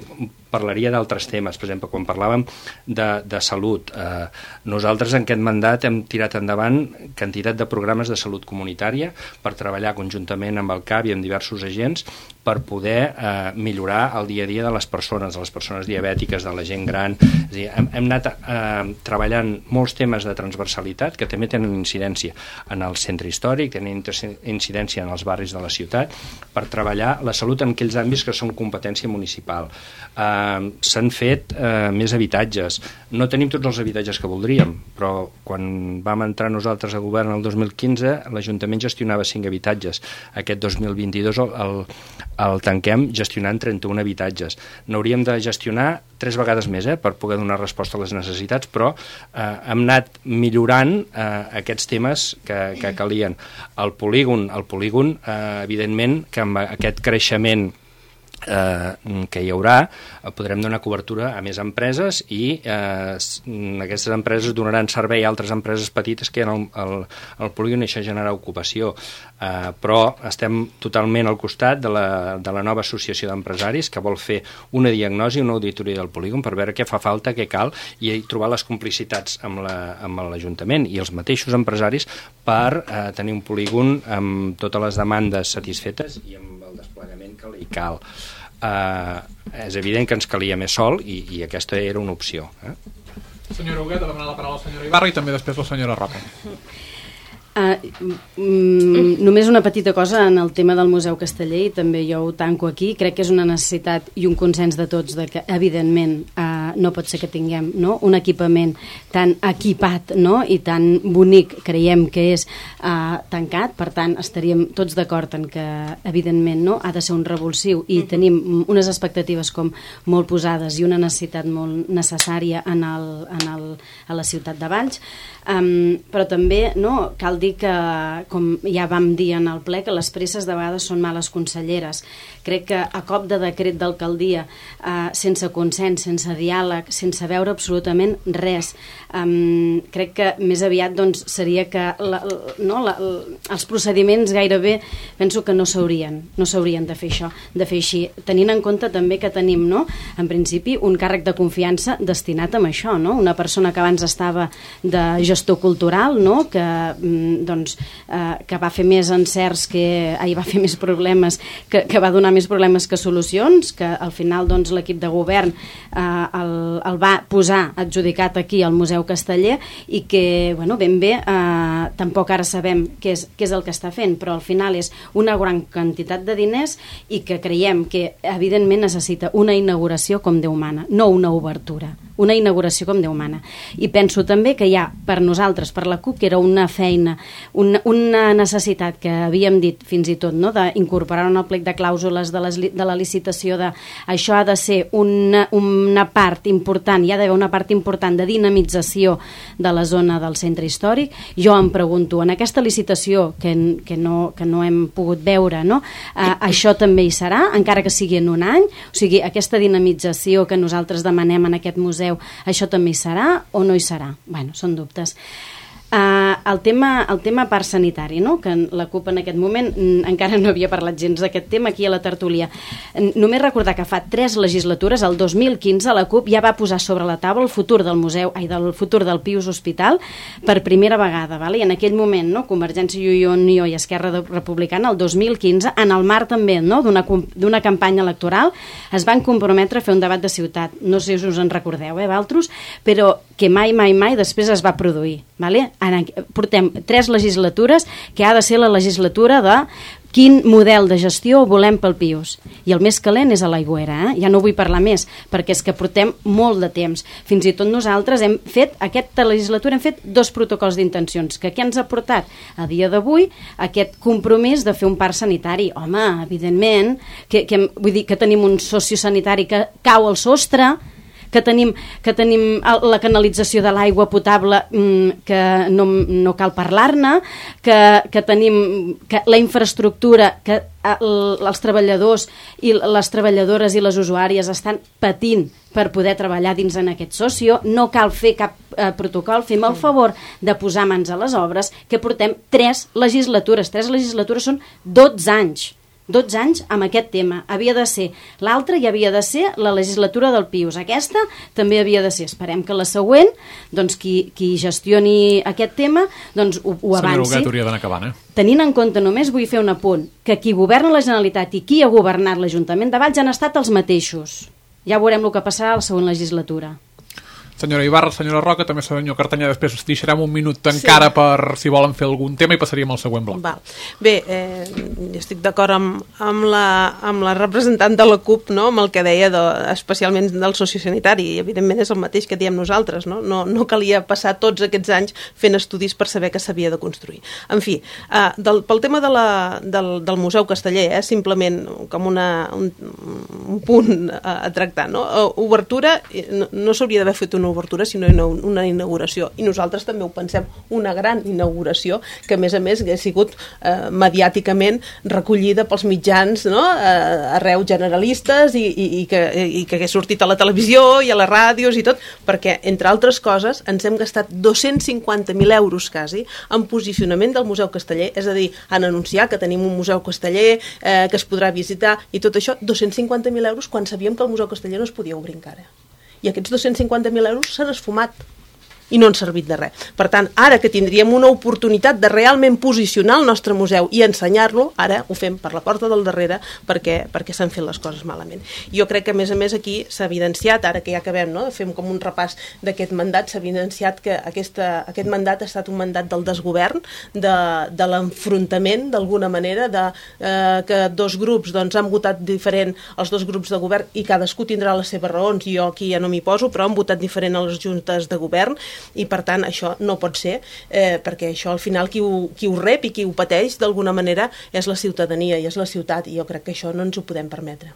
parlaria d'altres temes, per exemple, quan parlàvem de, de salut. Eh, nosaltres en aquest mandat hem tirat endavant quantitat de programes de salut comunitària per treballar conjuntament amb el C A B i amb diversos agents per poder eh, millorar el dia a dia de les persones, de les persones diabètiques, de la gent gran. És a dir, hem, hem anat eh, treballant molts temes de transversalitat que també tenen incidència en el centre històric, tenen incidència en els barris de la ciutat, per treballar la salut en aquells àmbits que són competència municipal. Eh, s'han fet eh, més habitatges. No tenim tots els habitatges que voldríem, però quan vam entrar nosaltres a govern el dos mil quinze, l'Ajuntament gestionava cinc habitatges. Aquest dos mil vint-i-dos el, el, el tanquem gestionant trenta-un habitatges. N'hauríem de gestionar tres vegades més eh, per poder donar resposta a les necessitats, però eh, hem anat millorant eh, aquests temes que, que calien. El polígon, el polígon eh, evidentment que amb aquest creixement Eh, que hi haurà, podrem donar cobertura a més empreses i eh, aquestes empreses donaran servei a altres empreses petites que hi ha al, al, al polígon i això genera ocupació. Eh, però estem totalment al costat de la, de la nova associació d'empresaris que vol fer una diagnosi, una auditoria del polígon per veure què fa falta, què cal i trobar les complicitats amb l'Ajuntament i els mateixos empresaris per eh, tenir un polígon amb totes les demandes satisfetes i amb el desplegament que li cal. Uh, és evident que ens calia més sol i, i aquesta era una opció. Eh? Senyora Huguet, ha demanat la paraula la senyora Ibarra i també després la senyora Roca. Uh, mm, només una petita cosa en el tema del Museu Casteller, i també jo ho tanco aquí. Crec que és una necessitat i un consens de tots de que evidentment uh, no pot ser que tinguem, no, un equipament tan equipat, no, i tan bonic, creiem que és uh, tancat. Per tant estaríem tots d'acord en que evidentment no ha de ser un revulsiu i tenim unes expectatives com molt posades i una necessitat molt necessària en el, en el, a la ciutat de Valls. Um, però també no, cal dir que, com ja vam dir en el ple, que les presses de vegades són males conselleres. Crec que a cop de decret d'alcaldia, uh, sense consens, sense diàleg, sense veure absolutament res, um, crec que més aviat doncs, seria que la, no, la, els procediments gairebé penso que no s'haurien no s'haurien de fer això, de fer així, tenint en compte també que tenim, no, en principi un càrrec de confiança destinat a això, no? Una persona que abans estava de gestor cultural, no? que, doncs, eh, que va fer més encerts que ahir va fer més problemes que, que va donar més problemes que solucions, que al final doncs, l'equip de govern eh, el, el va posar adjudicat aquí al Museu Casteller i que bueno, ben bé eh, eh, tampoc ara sabem què és, què és el que està fent, però al final és una gran quantitat de diners i que creiem que evidentment necessita una inauguració com Déu mana, no una obertura, una inauguració com Déu mana. I penso també que hi ha per nosaltres, per la CUP, que era una feina, una, una necessitat que havíem dit fins i tot, no? D'incorporar en el plec de clàusules de, les, de la licitació, de això ha de ser una, una part important, hi ha d'haver una part important de dinamització de la zona del centre històric. Jo em pregunto, en aquesta licitació que, que, no, que no hem pogut veure, no? Eh, això també hi serà, encara que sigui en un any? O sigui, aquesta dinamització que nosaltres demanem en aquest museu, això també hi serà o no hi serà? Bueno, són dubtes. Uh, el, tema, el tema parc sanitari, no? Que la CUP en aquest moment mm, encara no havia parlat gens d'aquest tema aquí a la tertúlia. Només recordar que fa tres legislatures, el dos mil quinze, la CUP ja va posar sobre la taula el futur del museu, ai, del futur del Pius Hospital per primera vegada, vale? I en aquell moment, no? Convergència i Unió i Esquerra Republicana, el dos mil quinze, en el marc també, no? d'una d'una campanya electoral, es van comprometre a fer un debat de ciutat. No sé si us en recordeu, eh, Valtros? Però que mai, mai, mai després es va produir, vale? En, portem tres legislatures que ha de ser la legislatura de quin model de gestió volem pel Pius. I el més calent és a l'Aigüera, eh? Ja no vull parlar més, perquè és que portem molt de temps. Fins i tot nosaltres hem fet, aquesta legislatura hem fet dos protocols d'intencions, que què ens ha portat a dia d'avui aquest compromís de fer un parc sanitari. Home, evidentment, que, que, vull dir que tenim un sociosanitari que cau al sostre, que tenim, que tenim la canalització de l'aigua potable que no, no cal parlar-ne, que, que tenim que la infraestructura, que els treballadors i les treballadores i les usuàries estan patint per poder treballar dins en aquest socio, no cal fer cap eh, protocol, fem el favor de posar mans a les obres, que portem tres legislatures, tres legislatures són dotze anys. dotze anys amb aquest tema. Havia de ser l'altra i havia de ser la legislatura del Pius. Aquesta també havia de ser. Esperem que la següent, doncs qui, qui gestioni aquest tema, doncs ho, ho avanci. Senyora Huguet, hauria d'anar acabant, eh? Tenint en compte, només vull fer un apunt, que qui governa la Generalitat i qui ha governat l'Ajuntament de Valls han estat els mateixos. Ja veurem el que passarà a la següent legislatura. Senyora Ibarra, senyora Roca, també senyor Cartanyà, després deixarem un minut encara sí. per si volen fer algun tema i passaríem al següent bloc. Val. Bé, eh, estic d'acord amb, amb, la, amb la representant de la CUP, no? Amb el que deia, de, especialment del sociosanitari, i evidentment és el mateix que diem nosaltres, no? No, no calia passar tots aquests anys fent estudis per saber que s'havia de construir. En fi, eh, del, pel tema de la, del, del Museu Casteller, eh, simplement com una, un, un punt a, a tractar, no? Obertura, no, no s'hauria d'haver fet una obertura, sinó una inauguració. I nosaltres també ho pensem, una gran inauguració que, a més a més, ha sigut eh, mediàticament recollida pels mitjans, no? eh, arreu generalistes i, i, i, que, i que hagués sortit a la televisió i a les ràdios i tot, perquè, entre altres coses, ens hem gastat dos-cents cinquanta mil euros quasi en posicionament del Museu Casteller, és a dir, en anunciar que tenim un Museu Casteller, eh, que es podrà visitar i tot això, dos-cents cinquanta mil euros quan sabíem que el Museu Casteller no es podia obrir encara. I aquests dos-cents cinquanta mil euros s'han esfumat i no han servit de res. Per tant, ara que tindríem una oportunitat de realment posicionar el nostre museu i ensenyar-lo, ara ho fem per la porta del darrere perquè, perquè s'han fet les coses malament. Jo crec que, a més a més, aquí s'ha evidenciat, ara que ja acabem, no? Fem com un repàs d'aquest mandat, s'ha evidenciat que aquesta, aquest mandat ha estat un mandat del desgovern, de, de l'enfrontament, d'alguna manera, de eh, que dos grups doncs, han votat diferent, els dos grups de govern, i cadascú tindrà les seves raons, jo aquí ja no m'hi poso, però han votat diferent a les juntes de govern, i per tant això no pot ser, eh, perquè això al final qui ho, qui ho rep i qui ho pateix d'alguna manera és la ciutadania i és la ciutat, i jo crec que això no ens ho podem permetre.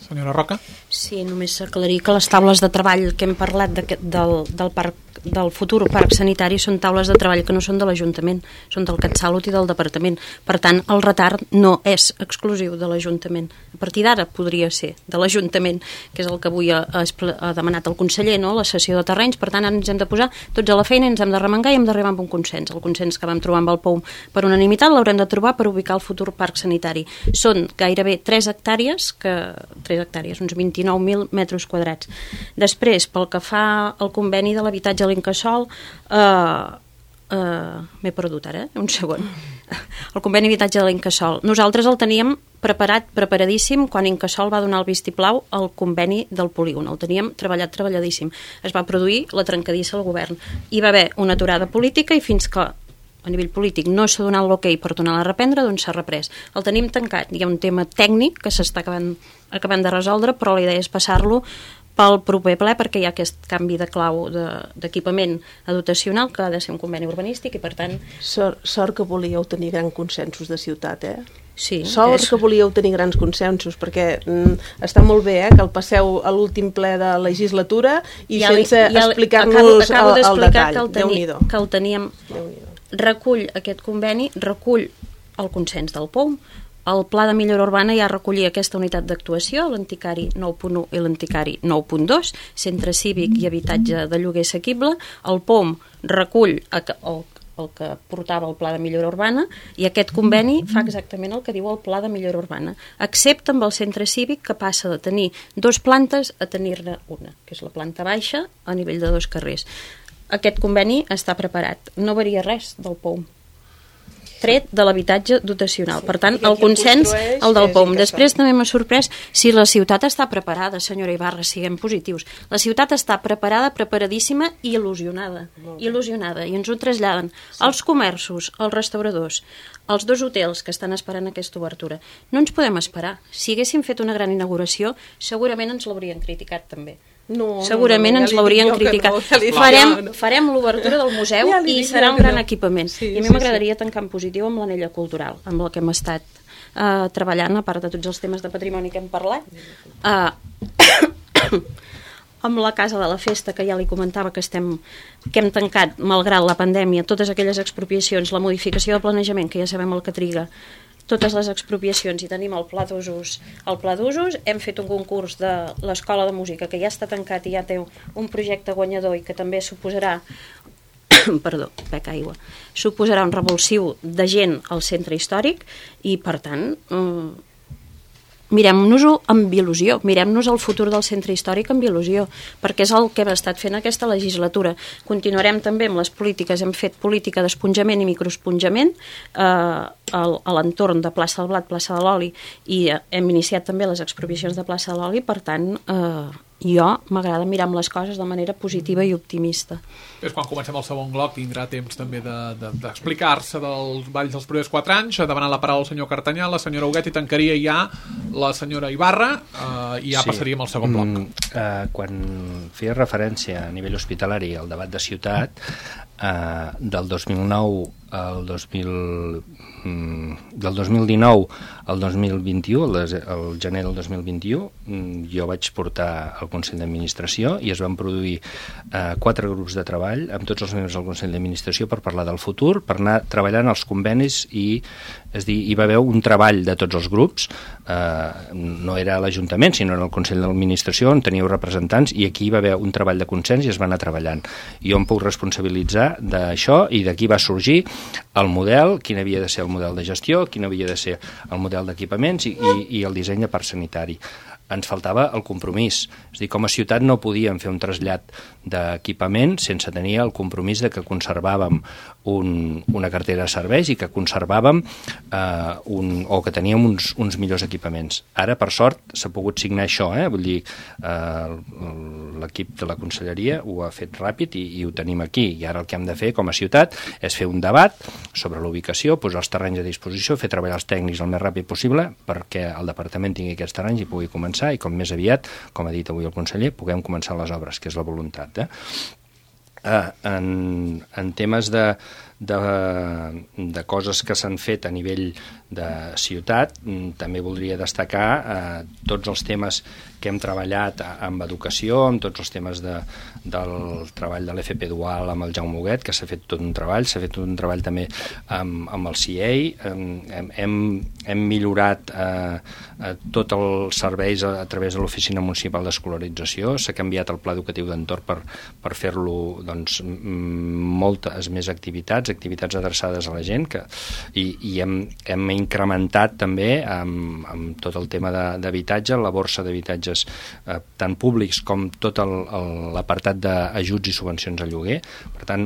Senyora Roca? Sí, només aclarir que les taules de treball que hem parlat de, del, del, parc, del futur parc sanitari són taules de treball que no són de l'Ajuntament, són del CatSalut i del Departament. Per tant, el retard no és exclusiu de l'Ajuntament. A partir d'ara podria ser de l'Ajuntament, que és el que avui ha, ha demanat el conseller, no? La cessió de terrenys. Per tant, ara ens hem de posar tots a la feina, ens hem de remengar i hem d'arribar amb un consens. El consens que vam trobar amb el P O U per unanimitat l'haurem de trobar per ubicar el futur parc sanitari. Són gairebé tres hectàrees, que tres hectàrees, uns vint-i-nou mil metres quadrats. Després, pel que fa al conveni de l'habitatge a l'Incasòl, eh, eh, m'he perdut ara, eh? un segon. El conveni d'habitatge de l'Incasòl. Nosaltres el teníem preparat, preparadíssim, quan Incasòl va donar el vistiplau al conveni del polígon. El teníem treballat, treballadíssim. Es va produir la trencadissa al govern. Hi va haver una aturada política i fins que a nivell polític no s'ha donat l'ok per tornar a reprendre, doncs s'ha reprès. El tenim tancat, hi ha un tema tècnic que s'està acabant, acabant de resoldre, però la idea és passar-lo pel proper ple perquè hi ha aquest canvi de clau d'equipament de, dotacional que ha de ser un conveni urbanístic i per tant... Sort, sort que volíeu tenir grans consensos de ciutat, eh? Sí, Sort és... que volíeu tenir grans consensos perquè mm, està molt bé eh, que el passeu a l'últim ple de legislatura i ja li, sense ja explicar-nos el, el detall. Que el, teni, que el teníem... Recull aquest conveni, recull el consens del P O M, el Pla de Millora Urbana ja recollia aquesta unitat d'actuació, l'Anticari nou punt u i l'Anticari nou punt dos, centre cívic i habitatge de lloguer assequible. El P O M recull el, el que portava el Pla de Millora Urbana i aquest conveni fa exactament el que diu el Pla de Millora Urbana, excepte amb el centre cívic que passa de tenir dos plantes a tenir-ne una, que és la planta baixa a nivell de dos carrers. Aquest conveni està preparat, no varia res del P O M. Tret de l'habitatge dotacional. Per tant, el consens, el del P O M. Després també m'ha sorprès si la ciutat està preparada, senyora Ibarra, siguem positius. La ciutat està preparada, preparadíssima i il·lusionada. Il·lusionada. I ens ho traslladen els comerços, els restauradors, els dos hotels que estan esperant aquesta obertura. No ens podem esperar. Si haguéssim fet una gran inauguració, segurament ens l'haurien criticat també. No, segurament no, no, ja ens l'haurien criticat. No, ja farem no. farem l'obertura del museu ja i serà un gran no. equipament. Sí, I a mi sí, m'agradaria sí. tancar en positiu amb l'anella cultural, amb la que hem estat uh, treballant, a part de tots els temes de patrimoni que hem parlat. Uh, amb la Casa de la Festa, que ja li comentava que, estem, que hem tancat, malgrat la pandèmia, totes aquelles expropiacions, la modificació de planejament, que ja sabem el que triga, totes les expropiacions i tenim el pla d'usos. El pla d'usos, hem fet un concurs de l'Escola de Música que ja està tancat i ja té un projecte guanyador i que també suposarà perdó, bec aigua, suposarà un revulsiu de gent al centre històric i per tant eh, mirem-nos-ho amb il·lusió, mirem-nos el futur del centre històric amb il·lusió, perquè és el que hem estat fent aquesta legislatura. Continuarem també amb les polítiques, hem fet política d'esponjament i microesponjament eh, a l'entorn de plaça del Blat, plaça de l'Oli, i hem iniciat també les expropiacions de plaça de l'Oli, per tant, eh, jo m'agrada mirar amb les coses de manera positiva i optimista. És quan comencem el segon bloc, tindrà temps també d'explicar-se de, de, dels balls dels primers quatre anys, demanant la paraula al senyor Cartanyà, la senyora Huguet, i tancaria ja la senyora Ibarra, eh, i ja sí. passaríem al segon bloc. Mm, eh, quan feia referència a nivell hospitalari al debat de ciutat, eh, del dos mil nou al dos mil, mm, del dos mil dinou al dos mil vint-i-u, el, el gener del dos mil vint-i-u, mm, jo vaig portar al Consell d'Administració i es van produir eh, quatre grups de treball amb tots els membres del Consell d'Administració per parlar del futur, per anar treballant els convenis i, és dir, hi va haver un treball de tots els grups, eh, no era a l'Ajuntament, sinó en el Consell d'Administració on teníeu representants i aquí hi va haver un treball de consens i es va anar treballant. Jo em puc responsabilitzar d'això i d'aquí va sorgir el model, quin havia de ser el model de gestió, quin havia de ser el model d'equipaments i, i, i el disseny de parc sanitari. Ens faltava el compromís. És a dir, com a ciutat no podíem fer un trasllat d'equipament sense tenir el compromís de que conservàvem un, una cartera de serveis i que conservàvem eh, un, o que teníem uns, uns millors equipaments. Ara, per sort, s'ha pogut signar això, eh? Vull dir, eh, l'equip de la conselleria ho ha fet ràpid i, i ho tenim aquí. I ara el que hem de fer com a ciutat és fer un debat sobre l'ubicació, posar els terrenys a disposició, fer treballar els tècnics el més ràpid possible perquè el departament tingui aquests terrenys i pugui començar i com més aviat, com ha dit avui el conseller, puguem començar les obres, que és la voluntat. Eh? Eh, en, en temes de, de, de coses que s'han fet a nivell de ciutat, també voldria destacar eh, tots els temes que hem treballat amb educació, amb tots els temes de, del treball de l'F P dual amb el Jaume Huguet, que s'ha fet tot un treball, s'ha fet tot un treball també amb, amb el C I A, hem, hem, hem millorat eh, tots els serveis a, a través de l'Oficina Municipal d'Escolarització, s'ha canviat el pla educatiu d'entorn per, per fer-lo doncs, moltes més activitats, activitats adreçades a la gent, que, i, i hem, hem incrementat també amb, amb tot el tema d'habitatge, la borsa d'habitatges eh, tant públics com tot l'apartat d'ajuts i subvencions a lloguer. Per tant,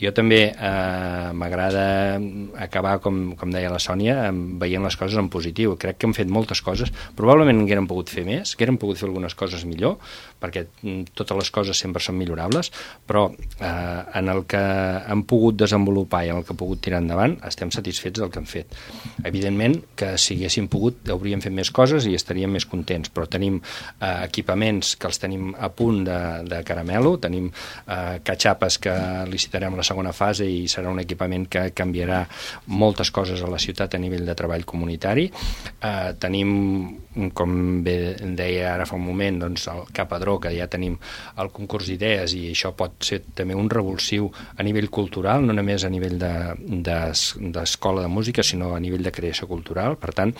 Jo també eh, m'agrada acabar, com, com deia la Sònia, veient les coses en positiu. Crec que hem fet moltes coses, probablement haguérem pogut fer més, que haguérem pogut fer algunes coses millor, perquè totes les coses sempre són millorables, però eh, en el que hem pogut desenvolupar i en el que hem pogut tirar endavant estem satisfets del que hem fet. Evidentment que si haguéssim pogut hauríem fet més coses i estaríem més contents, però tenim eh, equipaments que els tenim a punt de, de caramelo, tenim eh, catxapes que licitarem la segona fase i serà un equipament que canviarà moltes coses a la ciutat a nivell de treball comunitari. Eh, tenim, com bé deia ara fa un moment, doncs el Capadró, que ja tenim el concurs d'idees, i això pot ser també un revulsiu a nivell cultural, no només a nivell d'escola de, de, de música, sinó a nivell de creació cultural. Per tant,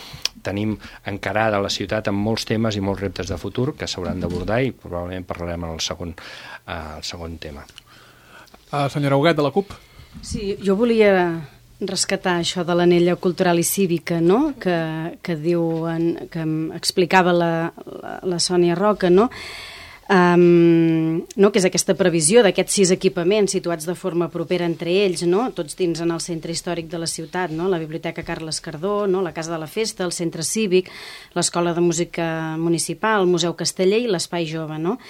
tenim encarada la ciutat amb molts temes i molts reptes de futur que s'hauran d'abordar i probablement parlarem en el segon, eh, el segon tema. Uh, senyora Huguet, de la CUP. Sí, jo volia rescatar això de l'anella cultural i cívica, no?, que, que, diu en, que explicava la, la, la Sònia Roca, no?, um, no?, que és aquesta previsió d'aquests sis equipaments situats de forma propera entre ells, no?, tots dins en el centre històric de la ciutat, no?, la Biblioteca Carles Cardó, no?, la Casa de la Festa, el Centre Cívic, l'Escola de Música Municipal, el Museu Casteller i l'Espai Jove, no?,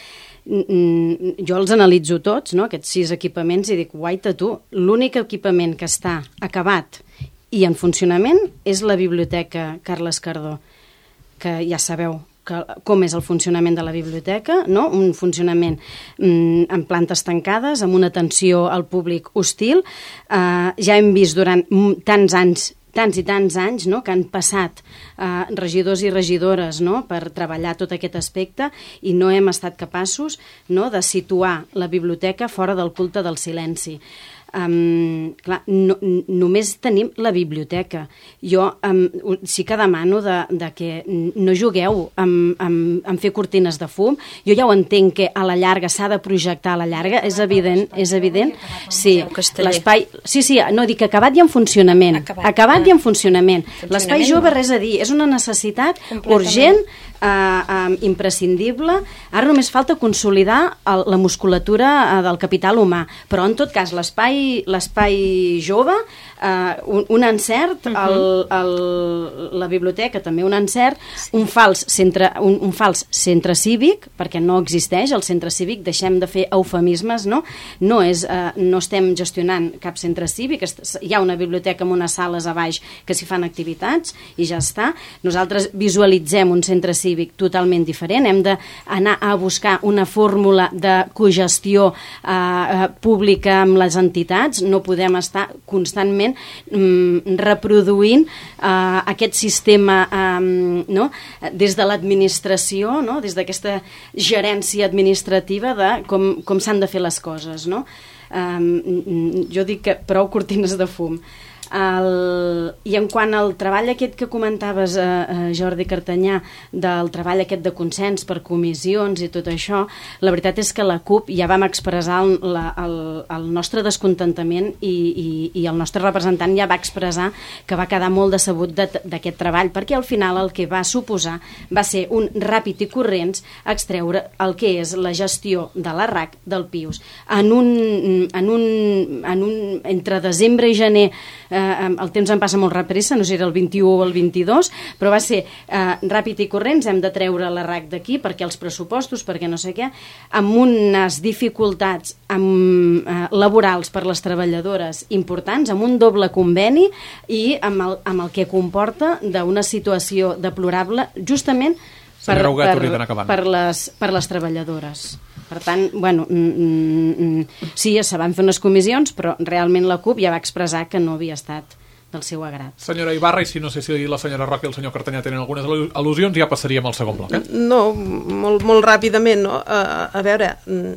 jo els analitzo tots, no?, aquests sis equipaments, i dic, guaita tu, l'únic equipament que està acabat i en funcionament és la Biblioteca Carles Cardó, que ja sabeu que, com és el funcionament de la biblioteca, no?, un funcionament mm, en plantes tancades, amb una atenció al públic hostil. Uh, ja hem vist durant tants anys tants i tants anys, no?, que han passat eh, regidors i regidores, no?, per treballar tot aquest aspecte i no hem estat capaços, no?, de situar la biblioteca fora del culte del silenci. Um, clar, no, només tenim la biblioteca. Jo um, sí que demano de, de que no jugueu amb, amb, amb fer cortines de fum. Jo ja ho entenc que a la llarga s'ha de projectar a la llarga, és evident, és evident. Sí, l'espai, sí, sí, no, dic acabat i en funcionament. Acabat, acabat i en funcionament. L'espai jove, res a dir, és una necessitat urgent, eh, eh, imprescindible. Ara només falta consolidar el, la musculatura eh, del capital humà, però en tot cas l'espai l'espai jove, eh, un, un encert, uh -huh. el, el, la biblioteca també un encert, sí. un, fals centre, un, un fals centre cívic, perquè no existeix el centre cívic, deixem de fer eufemismes, no? No, és, eh, no estem gestionant cap centre cívic, hi ha una biblioteca amb unes sales a baix que s'hi fan activitats i ja està. Nosaltres visualitzem un centre cívic totalment diferent, hem d'anar a buscar una fórmula de cogestió eh, pública amb les entitats, no podem estar constantment mm, reproduint uh, aquest sistema um, no? des de l'administració, no? Des d'aquesta gerència administrativa de com, com s'han de fer les coses, no? Um, jo dic que prou cortines de fum. El, i en quant al treball aquest que comentaves, eh, eh, Jordi Cartanyà, del treball aquest de consens per comissions i tot això, la veritat és que la CUP ja vam expressar el, la, el, el nostre descontentament i, i, i el nostre representant ja va expressar que va quedar molt decebut d'aquest treball, perquè al final el que va suposar va ser un ràpid i corrents extreure el que és la gestió de la R A C del Pius. En un, en un, en un, entre desembre i gener eh, el temps em passa molt repressa, no sé si era el vint-i-u o el vint-i-dos, però va ser eh, ràpid i corrents, hem de treure la R A C d'aquí perquè els pressupostos, perquè no sé què, amb unes dificultats amb, eh, laborals per les treballadores importants, amb un doble conveni i amb el, amb el que comporta d'una situació deplorable justament per, per, per, les, per les treballadores. Per tant, bueno, mm, mm, sí, se van fer unes comissions, però realment la CUP ja va expressar que no havia estat del seu agrat. Senyora Ibarra, i si no sé si la senyora Roca i el senyor Cartanyà tenen algunes al·lusions, ja passaríem al segon bloc. Eh? No, molt, molt ràpidament. No? A, a veure,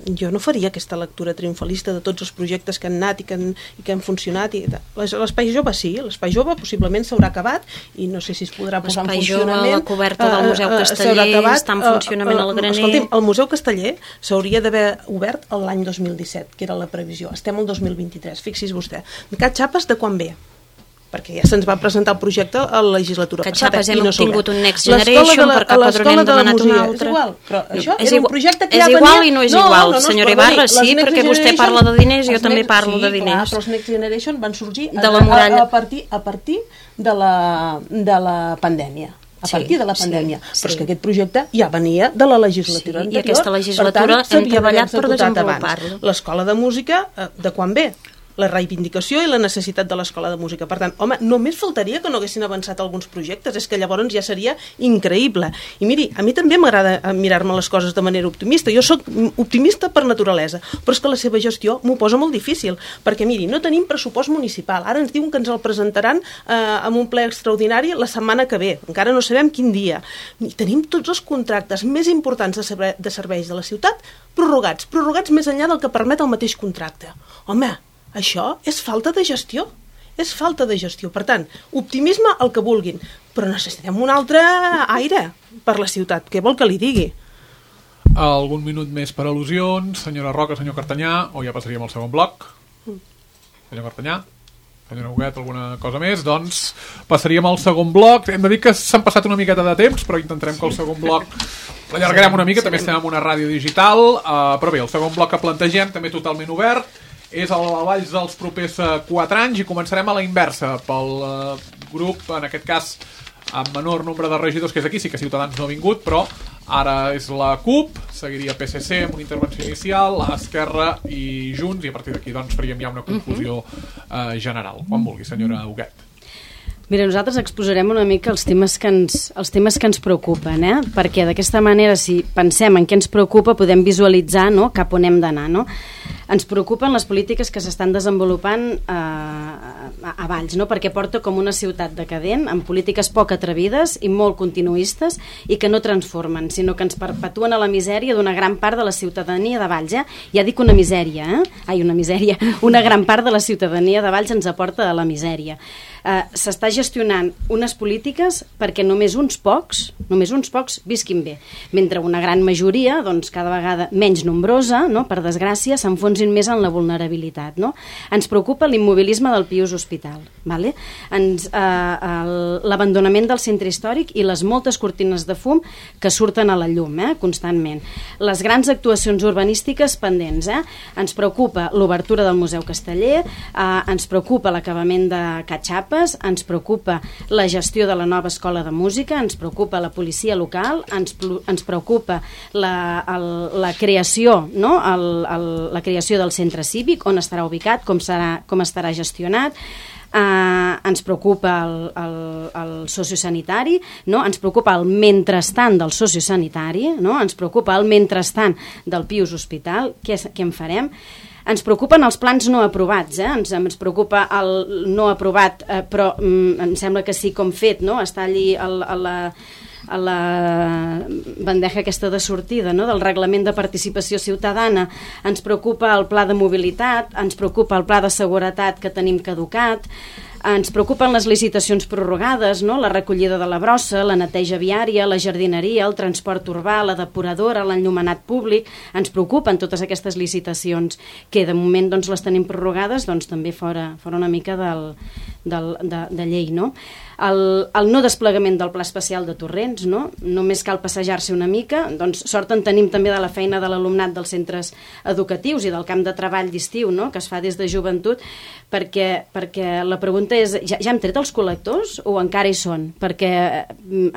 jo no faria aquesta lectura triomfalista de tots els projectes que han anat i que han, i que han funcionat. L'espai jove sí, l'espai jove possiblement s'haurà acabat i no sé si es podrà posar en funcionament. L'espai jove, la coberta del Museu Casteller està en funcionament al graner. Escolti'm, el Museu Casteller s'hauria d'haver obert l'any dos mil disset, que era la previsió. Estem al dos mil vint-i-tres, fixi's vostè. Cat Xapes de quan ve? perquè ja se'ns va presentar el projecte a la legislatura que passada. Que hem no obtingut un Next Generation, la, per cap altre n'hem demanat un altre. És igual, però això és era igual, un projecte que és ja igual venia... i no és no, igual, no, no, senyora no, Ibarra, sí, sí, perquè vostè parla de diners i jo també parlo de diners. Sí, però els Next Generation van sorgir de la muralla. a, a, partir, a partir de la, de la pandèmia. A partir de la pandèmia. Sí, sí. Però és que aquest projecte ja venia de la legislatura sí, anterior. I aquesta legislatura per tant, hem treballat per desenvolupar-lo. L'escola de música, de quan ve? La reivindicació i la necessitat de l'escola de música. Per tant, home, només faltaria que no haguessin avançat alguns projectes, és que llavors ja seria increïble. I miri, a mi també m'agrada mirar-me les coses de manera optimista. Jo sóc optimista per naturalesa, però és que la seva gestió m'ho posa molt difícil, perquè miri, no tenim pressupost municipal. Ara ens diuen que ens el presentaran eh, amb un ple extraordinari la setmana que ve. Encara no sabem quin dia. I tenim tots els contractes més importants de, serve de serveis de la ciutat prorrogats, prorrogats més enllà del que permet el mateix contracte. Home, això és falta de gestió, és falta de gestió. Per tant, optimisme el que vulguin, però necessitem un altre aire per la ciutat. Què vol que li digui? Algun minut més per al·lusions, senyora Roca, senyor Cartanyà, o ja passaríem al segon bloc? Senyor Cartanyà, senyora Huguet, alguna cosa més? Doncs passaríem al segon bloc. Hem de dir que s'han passat una miqueta de temps, però intentarem que el segon bloc l'allargarem una mica, també estem en una ràdio digital, uh, però bé, el segon bloc que plantegem també totalment obert, és a Valls dels propers quatre anys i començarem a la inversa pel uh, grup, en aquest cas amb menor nombre de regidors que és aquí, sí que Ciutadans no ha vingut, però ara és la CUP, seguiria P S C amb una intervenció inicial, Esquerra i Junts, i a partir d'aquí doncs faríem ja una conclusió uh, general. Quan vulgui, senyora Huguet. Mira, nosaltres exposarem una mica els temes que ens, els temes que ens preocupen, eh? Perquè d'aquesta manera, si pensem en què ens preocupa, podem visualitzar, no?, cap on hem d'anar, no? Ens preocupen les polítiques que s'estan desenvolupant eh, a, a Valls, no? Perquè porta com una ciutat decadent, amb polítiques poc atrevides i molt continuistes i que no transformen, sinó que ens perpetuen a la misèria d'una gran part de la ciutadania de Valls. Eh? Ja dic una misèria, eh? Ai, una misèria. Una gran part de la ciutadania de Valls ens aporta a la misèria. Uh, s'està gestionant unes polítiques perquè només uns pocs, només uns pocs visquin bé, mentre una gran majoria, doncs cada vegada menys nombrosa, no?, per desgràcia, s'enfonsin més en la vulnerabilitat. No? Ens preocupa l'immobilisme del Pius Hospital, vale? Ens, uh, l'abandonament del centre històric i les moltes cortines de fum que surten a la llum, eh, constantment. Les grans actuacions urbanístiques pendents. Eh? Ens preocupa l'obertura del Museu Casteller, uh, ens preocupa l'acabament de Catxapa, ens preocupa la gestió de la nova escola de música, ens preocupa la policia local, ens, ens preocupa la, el, la creació, no? el, el, la creació del centre cívic, on estarà ubicat, com, serà, com estarà gestionat. Uh, ens preocupa el, el, el sociosanitari, no? Ens preocupa el mentrestant del sociosanitari, no? Ens preocupa el mentrestant del Pius Hospital. Què, què en farem? Ens preocupen els plans no aprovats, eh? ens, ens preocupa el no aprovat, eh, però mm, em sembla que sí com fet, no? Està allí el, a la... a la bandeja aquesta de sortida, no?, del reglament de participació ciutadana. Ens preocupa el pla de mobilitat, ens preocupa el pla de seguretat que tenim caducat, ens preocupen les licitacions prorrogades, no?, la recollida de la brossa, la neteja viària, la jardineria, el transport urbà, la depuradora, l'enllumenat públic. Ens preocupen totes aquestes licitacions que de moment doncs, les tenim prorrogades, doncs també fora, fora una mica del, del, de, de llei, no? El, el no desplegament del pla especial de Torrents, no? Només cal passejar-se una mica, doncs sort en tenim també de la feina de l'alumnat dels centres educatius i del camp de treball d'estiu, no?, que es fa des de joventut, perquè, perquè la pregunta és, ja, ja hem tret els col·lectors o encara hi són? Perquè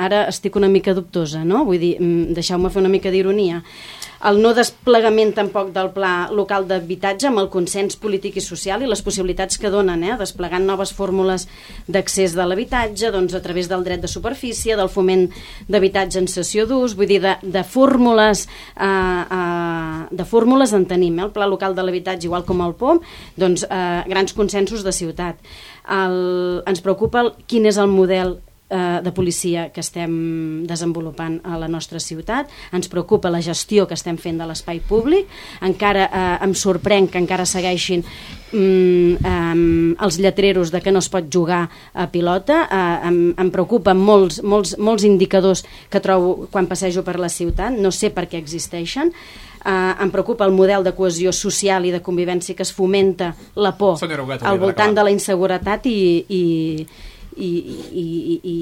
ara estic una mica dubtosa, no? Vull dir, deixeu-me fer una mica d'ironia. El no desplegament tampoc del pla local d'habitatge amb el consens polític i social i les possibilitats que donen, eh, desplegant noves fórmules d'accés de l'habitatge, doncs a través del dret de superfície, del foment d'habitatge en cessió d'ús, vull dir, de, de fórmules eh, eh, de fórmules en tenim, eh, el pla local de l'habitatge igual com el P O M, doncs eh, grans consensos de ciutat. El, ens preocupa el, quin és el model de policia que estem desenvolupant a la nostra ciutat, ens preocupa la gestió que estem fent de l'espai públic, encara eh, em sorprèn que encara segueixin mm, eh, els lletreros de que no es pot jugar a pilota, eh, em, em preocupen molts, molts, molts indicadors que trobo quan passejo per la ciutat, no sé per què existeixen. eh, em preocupa el model de cohesió social i de convivència que es fomenta la por al voltant de la inseguretat i, i, i, i, i, i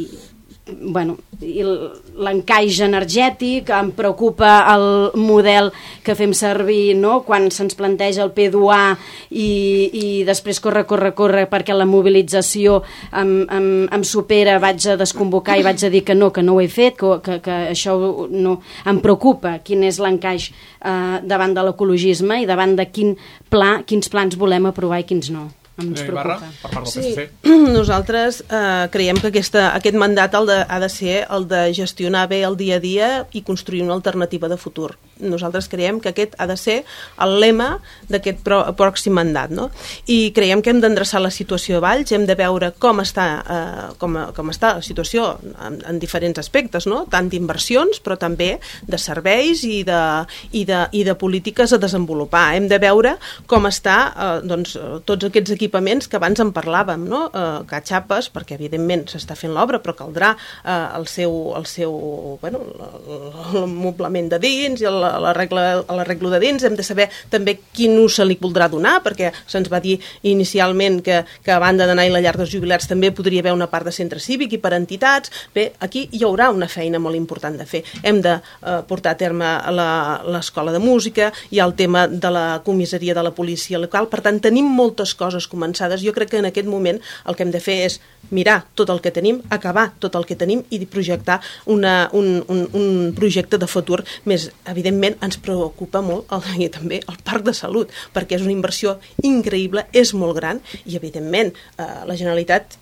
bueno, l'encaix energètic, em preocupa el model que fem servir, no?, quan se'ns planteja el P dos A i, i després corre, corre, corre perquè la mobilització em, em, em supera, vaig a desconvocar i vaig a dir que no, que no ho he fet, que, que, que això no... Em preocupa quin és l'encaix eh, davant de l'ecologisme i davant de quin pla, quins plans volem aprovar i quins no. Ens Ibarra, per part del sí, P S C. Nosaltres eh, creiem que aquesta, aquest mandat el de, ha de ser el de gestionar bé el dia a dia i construir una alternativa de futur. Nosaltres creiem que aquest ha de ser el lema d'aquest pròxim mandat, no? I creiem que hem d'endreçar la situació a Valls, hem de veure com està, eh, com, com està la situació en, en diferents aspectes, no? Tant d'inversions, però també de serveis i de, i de, i de polítiques a desenvolupar. Hem de veure com està eh, doncs, tots aquests equipaments que abans en parlàvem, no? Eh, catxapes, perquè evidentment s'està fent l'obra, però caldrà eh, el seu, el seu bueno, l'amoblament de dins i el l'arreglo de dins, hem de saber també quin ús se li voldrà donar, perquè se'ns va dir inicialment que, que a banda d'anar a la llar dels jubilats també podria haver una part de centre cívic i per entitats. Bé, aquí hi haurà una feina molt important de fer. Hem de eh, portar a terme l'escola de música, hi ha el tema de la comissaria de la policia local, per tant tenim moltes coses començades. Jo crec que en aquest moment el que hem de fer és mirar tot el que tenim, acabar tot el que tenim i projectar una, un, un, un projecte de futur més. Evidentment ens preocupa molt el, i també el parc de salut, perquè és una inversió increïble, és molt gran i evidentment eh, la Generalitat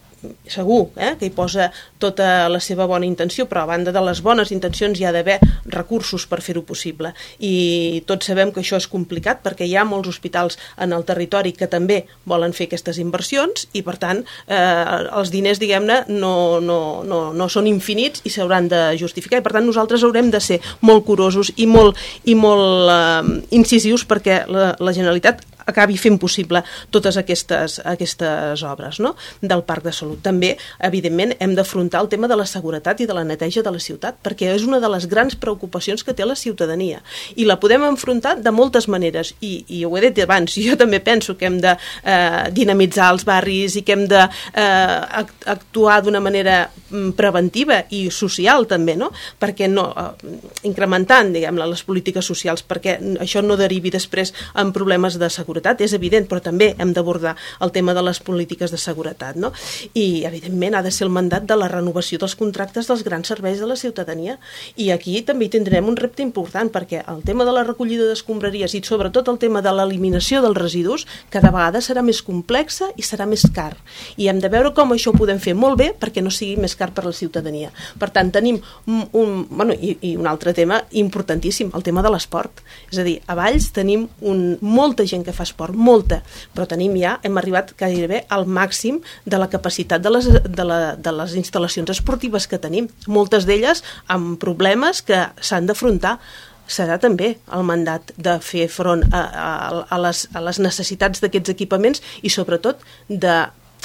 segur eh, que hi posa tota la seva bona intenció, però a banda de les bones intencions hi ha d'haver recursos per fer-ho possible. I tots sabem que això és complicat perquè hi ha molts hospitals en el territori que també volen fer aquestes inversions i, per tant, eh, els diners, diguem-ne, no, no, no, no són infinits i s'hauran de justificar. I, per tant, nosaltres haurem de ser molt curosos i molt, i molt eh, incisius perquè la, la Generalitat acabi fent possible totes aquestes, aquestes obres, no?, del Parc de Salut. També, evidentment, hem d'afrontar el tema de la seguretat i de la neteja de la ciutat, perquè és una de les grans preocupacions que té la ciutadania. I la podem enfrontar de moltes maneres. I, i ho he dit abans, jo també penso que hem de eh, dinamitzar els barris i que hem de eh, actuar d'una manera preventiva i social, també, no?, perquè no, eh, incrementant, diguem-ne, les polítiques socials, perquè això no derivi després en problemes de seguretat. És evident, però també hem d'abordar el tema de les polítiques de seguretat, no? I, evidentment, ha de ser el mandat de la renovació dels contractes dels grans serveis de la ciutadania. I aquí també hi tindrem un repte important, perquè el tema de la recollida d'escombraries i, sobretot, el tema de l'eliminació dels residus cada vegada serà més complexa i serà més car. I hem de veure com això ho podem fer molt bé perquè no sigui més car per a la ciutadania. Per tant, tenim un... un bueno, i, i un altre tema importantíssim, el tema de l'esport. És a dir, a Valls tenim un, molta gent que fa esport, molta, però tenim ja, hem arribat gairebé al màxim de la capacitat de les, de, la, de les instal·lacions esportives que tenim, moltes d'elles amb problemes que s'han d'afrontar. Serà també el mandat de fer front a, a, a, les, a les necessitats d'aquests equipaments i sobretot de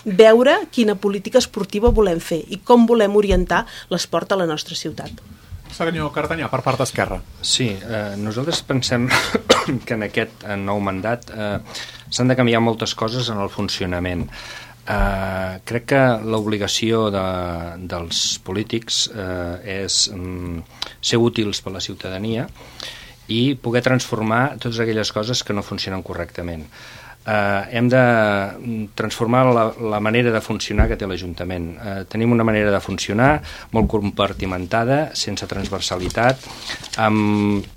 veure quina política esportiva volem fer i com volem orientar l'esport a la nostra ciutat. Senyor Cartanyà, per part d'Esquerra. Sí, eh, nosaltres pensem que en aquest nou mandat eh, s'han de canviar moltes coses en el funcionament. Eh, crec que l'obligació de, dels polítics eh, és mm, ser útils per la ciutadania i poder transformar totes aquelles coses que no funcionen correctament. Uh, hem de transformar la, la manera de funcionar que té l'Ajuntament. Uh, tenim una manera de funcionar molt compartimentada, sense transversalitat, amb,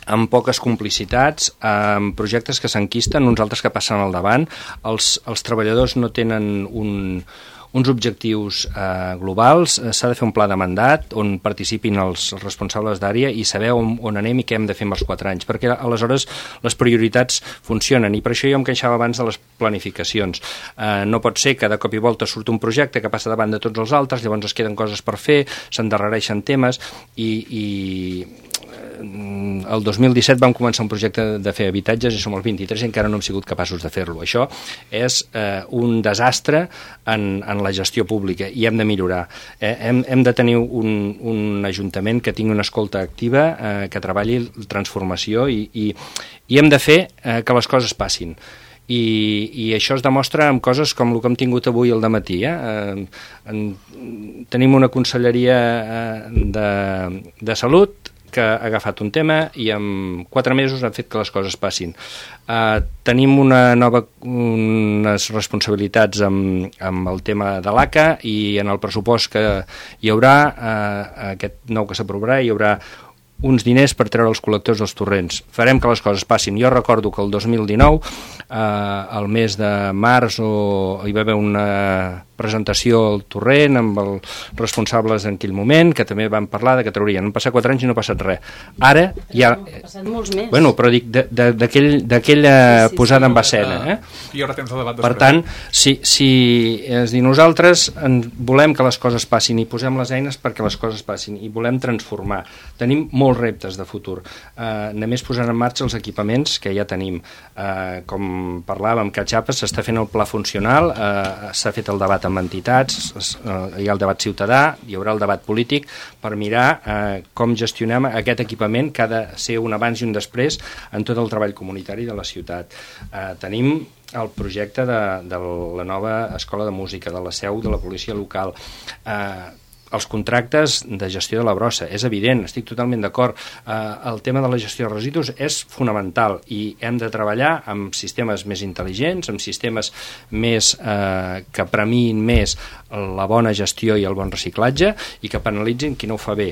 amb poques complicitats, amb projectes que s'enquisten, uns altres que passen al davant. Els, els treballadors no tenen un... uns objectius eh, globals, eh, s'ha de fer un pla de mandat on participin els responsables d'àrea i saber on, on anem i què hem de fer amb els quatre anys, perquè aleshores les prioritats funcionen i per això jo em queixava abans de les planificacions. Eh, no pot ser que de cop i volta surt un projecte que passa davant de tots els altres, llavors es queden coses per fer, s'endarrereixen temes i, i el dos mil disset vam començar un projecte de fer habitatges i som el vint-i-tres i encara no hem sigut capaços de fer-lo. Això és eh, un desastre en, en la gestió pública i hem de millorar. Eh, hem, hem de tenir un, un ajuntament que tingui una escolta activa, eh, que treballi la transformació i, i, i hem de fer eh, que les coses passin. I, i això es demostra amb coses com el que hem tingut avui al dematí. Eh? Eh, en, tenim una conselleria eh, de, de salut que ha agafat un tema i en quatre mesos han fet que les coses passin. Uh, tenim una nova, unes responsabilitats amb, amb el tema de l'A C A i en el pressupost que hi haurà, uh, aquest nou que s'aprovarà, hi haurà uns diners per treure els col·lectors dels torrents. Farem que les coses passin. Jo recordo que el dos mil dinou, eh, al mes de març, o, hi va haver una presentació al torrent amb els responsables en aquell moment, que també van parlar de que traurien. Han passat quatre anys i no ha passat res. Ara ja... Han passat molts més. Bueno, però dic, d'aquella sí, sí, posada sí, en escena. Eh? I ara temps de debat per tant, si, si és dir, nosaltres en volem que les coses passin i posem les eines perquè les coses passin i volem transformar. Tenim molts reptes de futur. Eh, només posant en marxa els equipaments que ja tenim. Eh, com parlàvem, que a Chiapas s'està fent el pla funcional, eh, s'ha fet el debat amb entitats, hi ha el debat ciutadà, hi haurà el debat polític per mirar eh, com gestionem aquest equipament que ha de ser un abans i un després en tot el treball comunitari de la ciutat. Eh, tenim el projecte de, de la nova escola de música, de la seu de la policia local, eh, els contractes de gestió de la brossa, és evident, estic totalment d'acord. Eh, el tema de la gestió de residus és fonamental i hem de treballar amb sistemes més intel·ligents, amb sistemes més eh, que premiïn més la bona gestió i el bon reciclatge i que penalitzin qui no ho fa bé.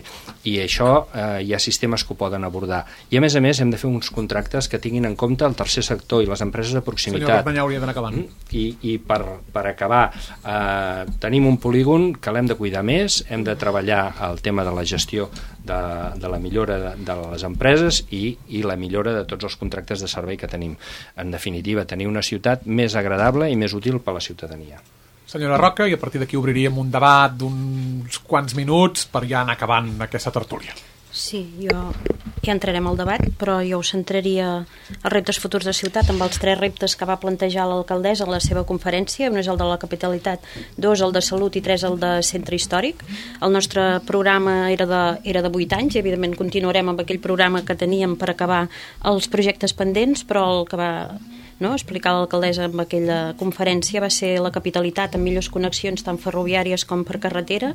I això eh, hi ha sistemes que ho poden abordar. I a més a més hem de fer uns contractes que tinguin en compte el tercer sector i les empreses de proximitat. Senyor Cartanyà, hauria d'anar acabant. I, i per, per acabar, eh, tenim un polígon que l'hem de cuidar més, hem de treballar el tema de la gestió de, de la millora de, de les empreses i, i la millora de tots els contractes de servei que tenim. En definitiva, tenir una ciutat més agradable i més útil per a la ciutadania. Senyora Roca, i a partir d'aquí obriríem un debat d'uns quants minuts per ja anar acabant aquesta tertúlia. Sí, jo ja entrarem al debat, però jo ho centraria als reptes futurs de ciutat amb els tres reptes que va plantejar l'alcaldessa en la seva conferència. Un és el de la capitalitat, dos el de salut i tres el de centre històric. El nostre programa era de, era de vuit anys i evidentment continuarem amb aquell programa que teníem per acabar els projectes pendents, però el que va no, explicar l'alcaldessa en aquella conferència va ser la capitalitat amb millors connexions tant ferroviàries com per carretera,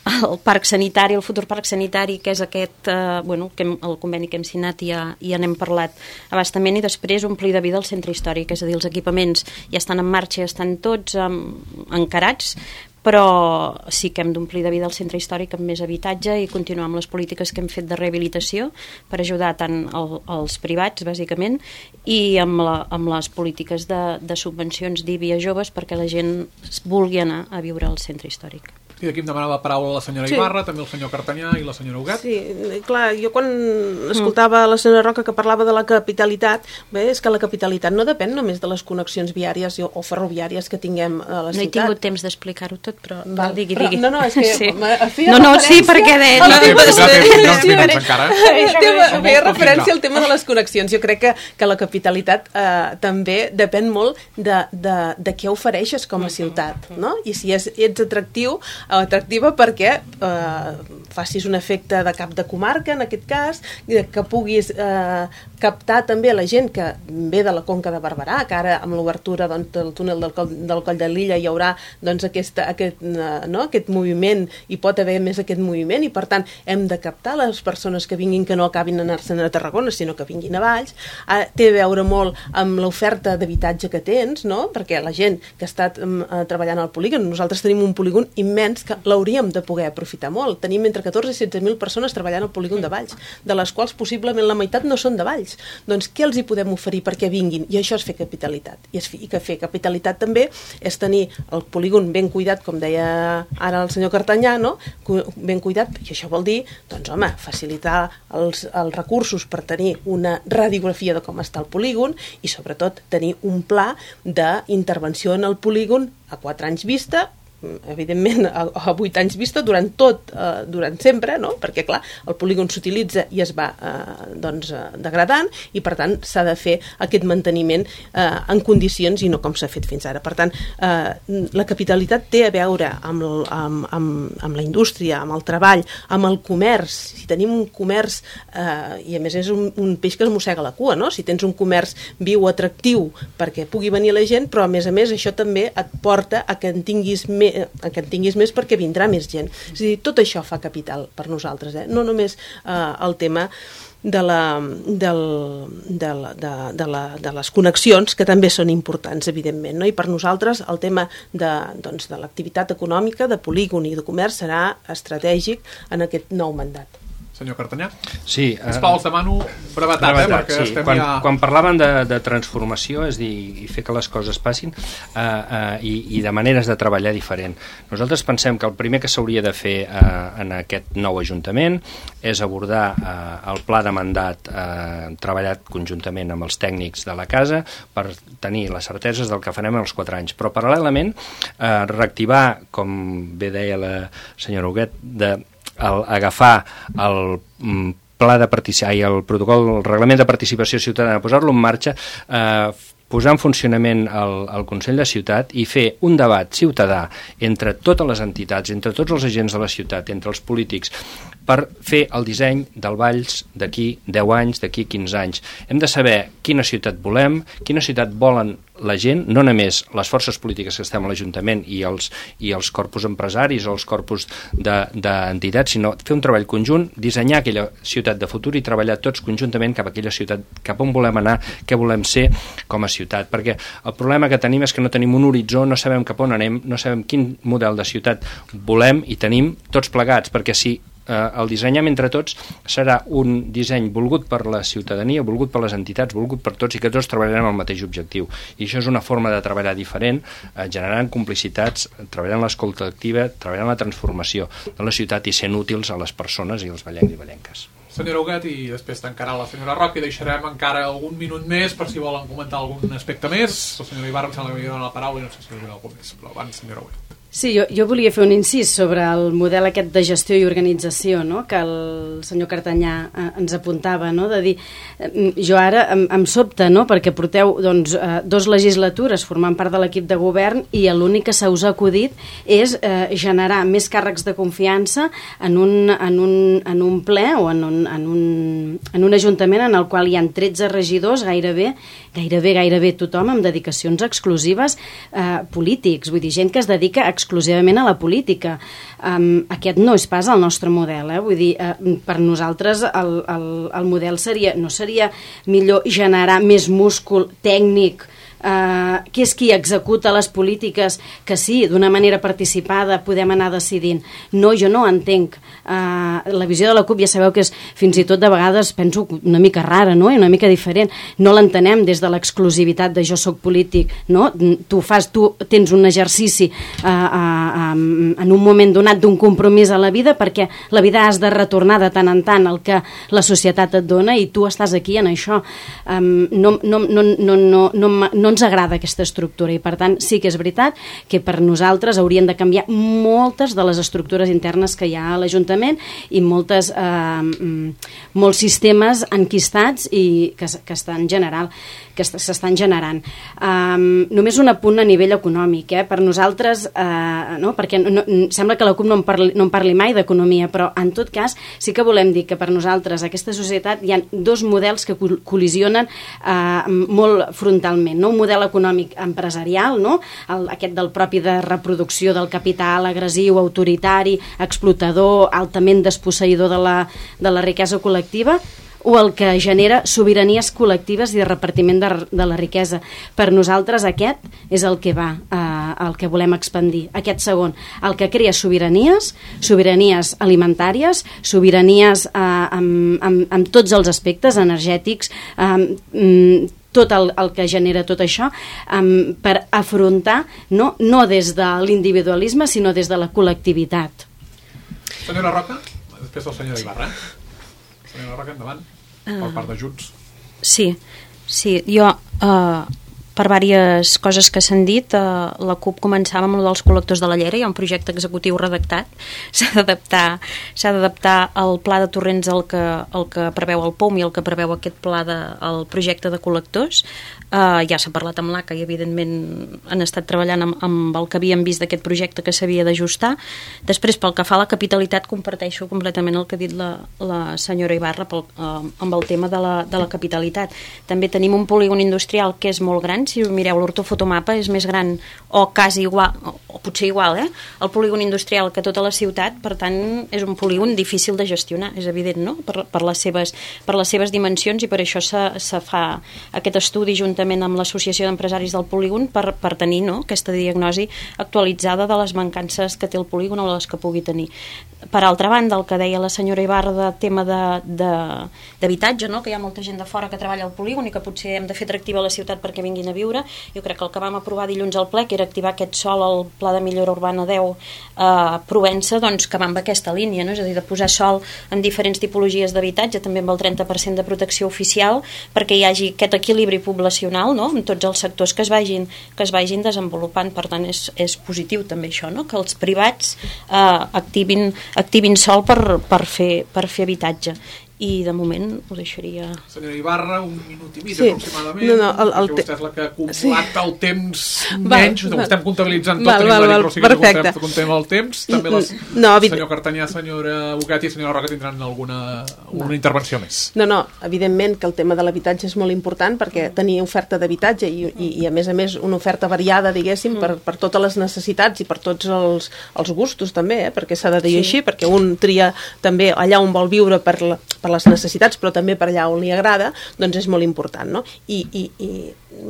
el parc sanitari, el futur parc sanitari, que és aquest, eh, bueno, que hem, el conveni que hem signat i ja, ja n'hem parlat abastament, i després omplir de vida el centre històric, és a dir, els equipaments ja estan en marxa, ja estan tots um, encarats, però sí que hem d'omplir de vida el centre històric amb més habitatge i continuar amb les polítiques que hem fet de rehabilitació per ajudar tant el, els privats, bàsicament, i amb, la, amb les polítiques de, de subvencions d'I B I a joves perquè la gent vulgui anar a viure al centre històric. I d'aquí em demanava la paraula la senyora sí. Ibarra, també el senyor Cartanyà i la senyora Huguet. Sí, clar, jo quan escoltava mm. la senyora Roca que parlava de la capitalitat, bé, és que la capitalitat no depèn només de les connexions viàries o, o ferroviàries que tinguem a la ciutat. No he tingut temps d'explicar-ho tot, però Val. No, digui, digui. Però, no, no, és que... Sí. Feia no, no, sí, perquè de... No, feia referència al tema de les connexions. Jo crec que, que la capitalitat eh, també depèn molt de, de, de què ofereixes com a ciutat, no? I si és, ets atractiu, atractiva perquè eh, facis un efecte de cap de comarca, en aquest cas, que puguis eh, captar també la gent que ve de la Conca de Barberà, que ara amb l'obertura doncs, del túnel del Coll, del Coll de Lilla hi haurà doncs, aquesta, aquest, no? aquest moviment, i pot haver més aquest moviment, i per tant hem de captar les persones que vinguin, que no acabin anar-se'n a Tarragona, sinó que vinguin a Valls. Ah, té a veure molt amb l'oferta d'habitatge que tens, no? Perquè la gent que està eh, treballant al polígon, nosaltres tenim un polígon immens que l'hauríem de poder aprofitar molt. Tenim entre catorze i setze mil persones treballant al polígon de Valls, de les quals possiblement la meitat no són de Valls. Doncs què els hi podem oferir perquè vinguin? I això és fer capitalitat. I, és, i que fer capitalitat també és tenir el polígon ben cuidat, com deia ara el senyor Cartanyà, no? Ben cuidat, i això vol dir, doncs home, facilitar els, els recursos per tenir una radiografia de com està el polígon i sobretot tenir un pla d'intervenció en el polígon a quatre anys vista, evidentment, a, a vuit anys vista, durant tot, eh, durant sempre, no? Perquè, clar, el polígon s'utilitza i es va eh, doncs, eh, degradant, i, per tant, s'ha de fer aquest manteniment eh, en condicions i no com s'ha fet fins ara. Per tant, eh, la capitalitat té a veure amb, el, amb, amb, amb la indústria, amb el treball, amb el comerç. Si tenim un comerç, eh, i a més és un, un peix que es mossega la cua, no? Si tens un comerç viu, atractiu, perquè pugui venir la gent, però a més a més això també et porta a que en tinguis, me, a que en tinguis més perquè vindrà més gent. És a dir, tot això fa capital per nosaltres, eh? No només eh, el tema de, la, del, de, la, de, de, la, de les connexions, que també són importants, evidentment, no? I per nosaltres el tema de, doncs, de l'activitat econòmica, de polígon i de comerç serà estratègic en aquest nou mandat. Senyor Cartanyà? Sí. Sisplau, us demano brevetat, brevetat eh, perquè sí. estem quan, ja... Quan parlaven de, de transformació, és dir, i fer que les coses passin, uh, uh, i, i de maneres de treballar diferent. Nosaltres pensem que el primer que s'hauria de fer uh, en aquest nou Ajuntament és abordar uh, el pla de mandat uh, treballat conjuntament amb els tècnics de la casa per tenir les certeses del que farem en els quatre anys. Però paral·lelament uh, reactivar, com bé deia la senyora Huguet, de el, agafar el pla de participació i el protocol, el reglament de participació ciutadana, posar-lo en marxa, eh, posar en funcionament el, el Consell de Ciutat i fer un debat ciutadà entre totes les entitats, entre tots els agents de la ciutat, entre els polítics, per fer el disseny del Valls d'aquí deu anys, d'aquí quinze anys. Hem de saber quina ciutat volem, quina ciutat volen la gent, no només les forces polítiques que estem a l'Ajuntament i els, i els corpus empresaris o els corpus d'entitats, de, sinó fer un treball conjunt, dissenyar aquella ciutat de futur i treballar tots conjuntament cap a aquella ciutat, cap on volem anar, què volem ser com a ciutat. Perquè el problema que tenim és que no tenim un horitzó, no sabem cap on anem, no sabem quin model de ciutat volem i tenim tots plegats, perquè si eh, el dissenyem entre tots serà un disseny volgut per la ciutadania, volgut per les entitats, volgut per tots i que tots treballarem el mateix objectiu. I això és una forma de treballar diferent, eh, generant complicitats, treballant l'escolta activa, treballant la transformació de la ciutat i sent útils a les persones i als vallencs i vallenques. Senyora Huguet, i després tancarà la senyora Roca i deixarem encara algun minut més per si volen comentar algun aspecte més. La senyora Ibarra em sembla que m'hi dona la paraula i no sé si hi haurà algun més, però abans, senyora Huguet. Sí, jo, jo volia fer un incís sobre el model aquest de gestió i organització, no?, que el senyor Cartanyà eh, ens apuntava, no?, de dir, eh, jo ara em, em sobta, no?, perquè porteu doncs, eh, dos legislatures formant part de l'equip de govern i l'únic que se us ha acudit és eh, generar més càrrecs de confiança en un, en un, en un ple o en un, en, un, en un ajuntament en el qual hi ha tretze regidors, gairebé, gairebé, gairebé tothom amb dedicacions exclusives eh, polítics, vull dir, gent que es dedica a exclusivament a la política. Um, aquest no és pas el nostre model, eh? Vull dir, uh, per nosaltres el, el, el model seria, no seria millor generar més múscul tècnic, Uh, que és qui executa les polítiques, que sí, d'una manera participada podem anar decidint. No, jo no entenc. Uh, la visió de la CUP ja sabeu que és fins i tot de vegades penso una mica rara, no?, i una mica diferent. No l'entenem des de l'exclusivitat de jo soc polític, no? Tu fas, tu tens un exercici uh, uh, um, en un moment donat d'un compromís a la vida, perquè la vida has de retornar de tant en tant el que la societat et dona i tu estàs aquí en això. Um, no, no, no, no, no, no, no ens agrada aquesta estructura i per tant sí que és veritat que per nosaltres haurien de canviar moltes de les estructures internes que hi ha a l'Ajuntament i moltes, eh, molts sistemes enquistats i que, que estan general que s'estan generant. Um, només un apunt a nivell econòmic, eh? Per nosaltres, uh, no? Perquè no, sembla que la CUP no en, parli, no en parli mai d'economia, però en tot cas sí que volem dir que per nosaltres aquesta societat hi ha dos models que col·lisionen uh, molt frontalment, no? Un model econòmic empresarial, no? El, aquest del propi de reproducció del capital agressiu, autoritari, explotador, altament desposseïdor de la, de la riquesa col·lectiva, o el que genera sobiranies col·lectives i de repartiment de, de la riquesa. Per nosaltres aquest és el que va, eh, el que volem expandir. Aquest segon, el que crea sobiranies, sobiranies alimentàries, sobiranies eh, amb, amb, amb tots els aspectes energètics, eh, tot el, el que genera tot això, um, per afrontar, no, no des de l'individualisme, sinó des de la col·lectivitat. Senyora Roca, després la senyora Ibarra. Senyora Roca, endavant, per part de Junts. Sí, sí, jo uh, per diverses coses que s'han dit. Eh, la CUP començava amb el dels col·lectors de la Llera, hi ha un projecte executiu redactat, s'ha d'adaptar s'ha d'adaptar el pla de torrents al que, el que preveu el P O M i el que preveu aquest pla de, el projecte de col·lectors. Eh, ja s'ha parlat amb l'A C A i evidentment han estat treballant amb, amb el que havíem vist d'aquest projecte que s'havia d'ajustar. Després, pel que fa a la capitalitat, comparteixo completament el que ha dit la, la senyora Ibarra pel, eh, amb el tema de la, de la capitalitat. També tenim un polígon industrial que és molt gran. Si us mireu l'ortofotomapa és més gran o quasi igual, o, o potser igual, eh? el polígon industrial que tota la ciutat, per tant és un polígon difícil de gestionar, és evident, no? per, per, les, seves, per les seves dimensions, i per això se, se fa aquest estudi juntament amb l'Associació d'Empresaris del Polígon per, per tenir, no? aquesta diagnosi actualitzada de les mancances que té el polígon o les que pugui tenir. Per altra banda, el que deia la senyora Ibarra de tema d'habitatge, no? que hi ha molta gent de fora que treballa al polígon i que potser hem de fer atractiva a la ciutat perquè vinguin a viure. Jo crec que el que vam aprovar dilluns al ple, que era activar aquest sòl al Pla de Millora Urbana deu a Provença, doncs que va amb aquesta línia, no? és a dir, de posar sòl en diferents tipologies d'habitatge, també amb el trenta per cent de protecció oficial, perquè hi hagi aquest equilibri poblacional, no? en tots els sectors que es vagin, que es vagin desenvolupant. Per tant, és, és positiu també això, no? que els privats eh, activin activin sol per, per, fer, per fer habitatge. I de moment ho deixaria... Senyora Ibarra, un minut i mig sí. aproximadament, no, no, el, el perquè vostè és la que ha acumulat sí. el temps val, menys, ho estem comptabilitzant tot, val, tenim val, la val, però sí que comptem el temps. També el no, senyor Cartanyà, senyora Bocat i senyora Roca tindran alguna una intervenció més. No, no, evidentment que el tema de l'habitatge és molt important perquè tenir oferta d'habitatge i, i, i a més a més una oferta variada, diguéssim, per, per totes les necessitats i per tots els, els gustos també, eh? perquè s'ha de dir sí. així, perquè un tria també allà on vol viure per, la, per les necessitats, però també per allà on li agrada, doncs és molt important, no? I, i, i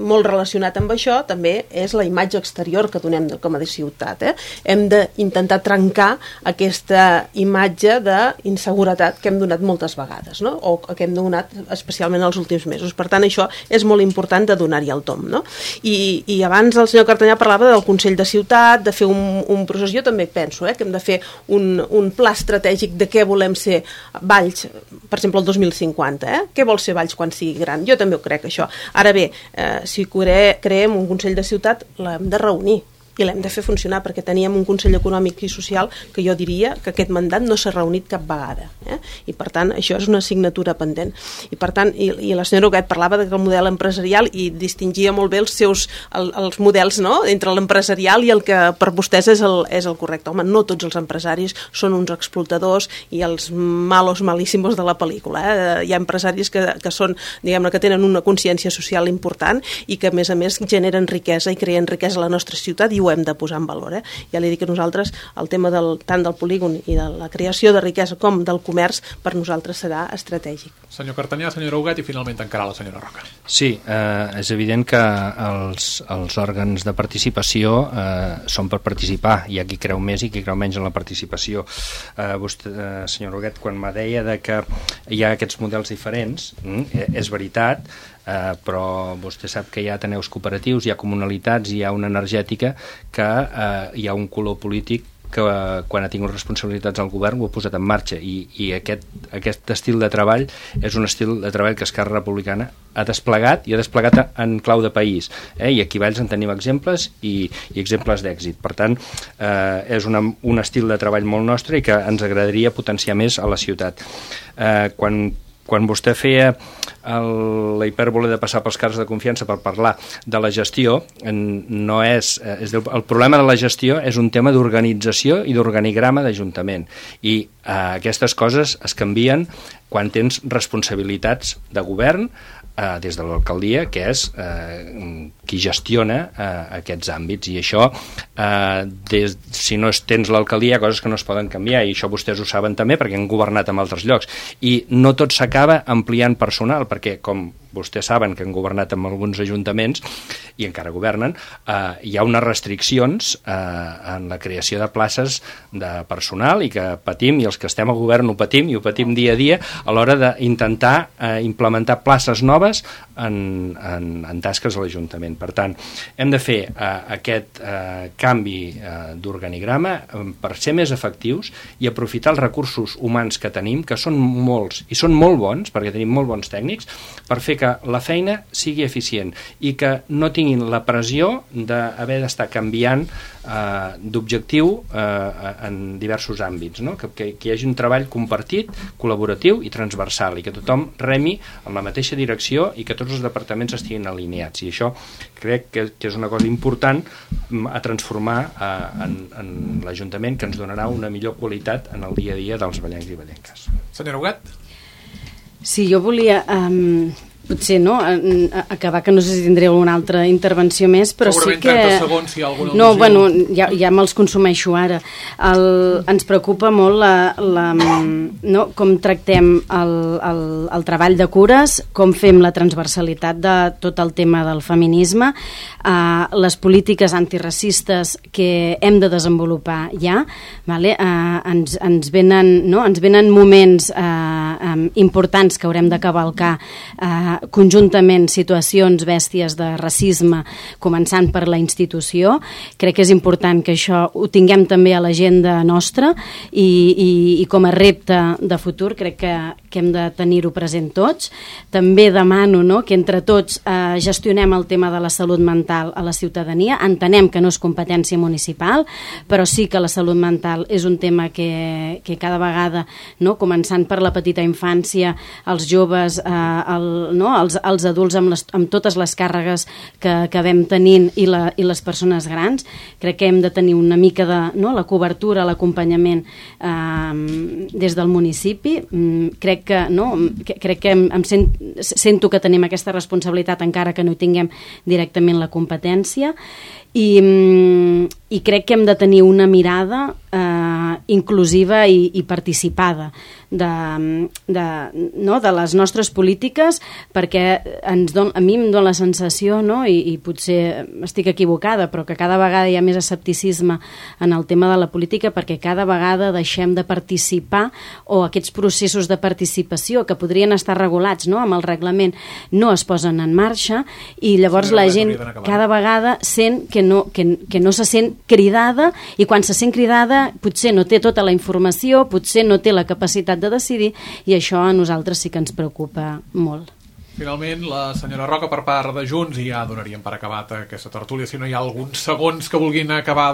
molt relacionat amb això també és la imatge exterior que donem com a de ciutat. Eh? Hem d'intentar trencar aquesta imatge d'inseguretat que hem donat moltes vegades, no? o que hem donat especialment els últims mesos. Per tant, això és molt important de donar-hi el tom. No? I, I abans el senyor Cartanyà parlava del Consell de Ciutat, de fer un, un procés. Jo també penso eh, que hem de fer un, un pla estratègic de què volem ser Valls, per exemple, el dos mil cinquanta. Eh? Què vol ser Valls quan sigui gran? Jo també ho crec, això. Ara bé, eh, si creem un Consell de Ciutat, l'hem de reunir i l'hem de fer funcionar, perquè teníem un Consell Econòmic i Social que jo diria que aquest mandat no s'ha reunit cap vegada. Eh? I per tant, això és una assignatura pendent. I per tant, i, i la senyora Huguet parlava del model empresarial i distingia molt bé els seus el, els models, no? entre l'empresarial i el que per vostès és el, és el correcte. Home, no tots els empresaris són uns explotadors i els malos malíssimos de la pel·lícula. Eh? Hi ha empresaris que, que són, diguem-ne, que tenen una consciència social important i que, a més a més, generen riquesa i creen riquesa a la nostra ciutat i ho hem de posar en valor. Eh? Ja li dic que nosaltres el tema del, tant del polígon i de la creació de riquesa com del comerç per nosaltres serà estratègic. Senyor Cartanyà, senyora Huguet i finalment encara la senyora Roca. Sí, eh, és evident que els, els òrgans de participació eh, són per participar. Hi ha qui creu més i qui creu menys en la participació. Eh, vostè, eh, senyora Huguet, quan me deia de que hi ha aquests models diferents, mm, és veritat, Uh, però vostè sap que hi ha ateneus cooperatius, hi ha comunalitats, hi ha una energètica que uh, hi ha un color polític que uh, quan ha tingut responsabilitats al govern ho ha posat en marxa i, i aquest, aquest estil de treball és un estil de treball que Esquerra Republicana ha desplegat i ha desplegat en clau de país, eh? I aquí a Valls en tenim exemples i, i exemples d'èxit. Per tant, eh, és una, un estil de treball molt nostre i que ens agradaria potenciar més a la ciutat. Eh, quan Quan vostè feia el, la hipèrbole de passar pels càrrecs de confiança per parlar de la gestió, no és, és el problema de la gestió és un tema d'organització i d'organigrama d'Ajuntament. I eh, aquestes coses es canvien quan tens responsabilitats de govern eh, des de l'alcaldia, que és eh, qui gestiona eh, aquests àmbits. I això, eh, des, si no tens l'alcaldia, hi ha coses que no es poden canviar, i això vostès ho saben també perquè han governat en altres llocs. I no tot s'acaba ampliant personal, perquè com vostès saben que han governat en alguns ajuntaments i encara governen, eh, hi ha unes restriccions eh, en la creació de places de personal i que patim, i els que estem al govern ho patim i ho patim dia a dia a l'hora d'intentar eh, implementar places noves en, en, en tasques a l'Ajuntament. Per tant, hem de fer eh, aquest eh, canvi eh, d'organigrama eh, per ser més efectius i aprofitar els recursos humans que tenim, que són molts i són molt bons, perquè tenim molt bons tècnics, per fer que perquè la feina sigui eficient i que no tinguin la pressió d'haver d'estar canviant eh, d'objectiu eh, en diversos àmbits, no? que, que, que hi hagi un treball compartit, col·laboratiu i transversal, i que tothom remi en la mateixa direcció i que tots els departaments estiguin alineats, i això crec que, que és una cosa important a transformar eh, en, en l'Ajuntament, que ens donarà una millor qualitat en el dia a dia dels ballencs i ballenques. Senyora Huguet? Sí, jo volia... Um... potser no, acabar, que no sé si tindré alguna altra intervenció més, però segurament sí que... trenta segons, si hi ha alguna no, al·lusió. bueno, ja, ja me'ls consumeixo ara. El, ens preocupa molt la, la, no, com tractem el, el, el treball de cures, com fem la transversalitat de tot el tema del feminisme, eh, les polítiques antiracistes que hem de desenvolupar ja, vale? eh, ens, ens, venen, no? ens venen moments eh, eh, importants que haurem de cavalcar eh, conjuntament situacions bèsties de racisme, començant per la institució. Crec que és important que això ho tinguem també a l'agenda nostra i, i, i com a repte de futur crec que, que hem de tenir-ho present tots. També demano, no?, que entre tots eh, gestionem el tema de la salut mental a la ciutadania. Entenem que no és competència municipal, però sí que la salut mental és un tema que, que cada vegada, no?, començant per la petita infància, els joves, eh, el, no? els, els adults amb, les, amb totes les càrregues que acabem tenint i, la, i les persones grans, crec que hem de tenir una mica de, no? la cobertura, l'acompanyament eh, des del municipi. Mm, crec que, no? que, crec que em, em sent, sento que tenim aquesta responsabilitat encara que no hi tinguem directament la competència. I, i crec que hem de tenir una mirada eh, inclusiva i, i participada de, de, no, de les nostres polítiques, perquè ens don, a mi em dona la sensació, no, i, i potser estic equivocada, però que cada vegada hi ha més escepticisme en el tema de la política, perquè cada vegada deixem de participar, o aquests processos de participació que podrien estar regulats, no, amb el reglament, no es posen en marxa, i llavors la gent cada vegada sent que no, que, que no se sent cridada, i quan se sent cridada potser no té tota la informació, potser no té la capacitat de decidir, i això a nosaltres sí que ens preocupa molt. Finalment, la senyora Roca per part de Junts, i ja donaríem per acabat aquesta tertúlia, si no hi ha alguns segons que vulguin acabar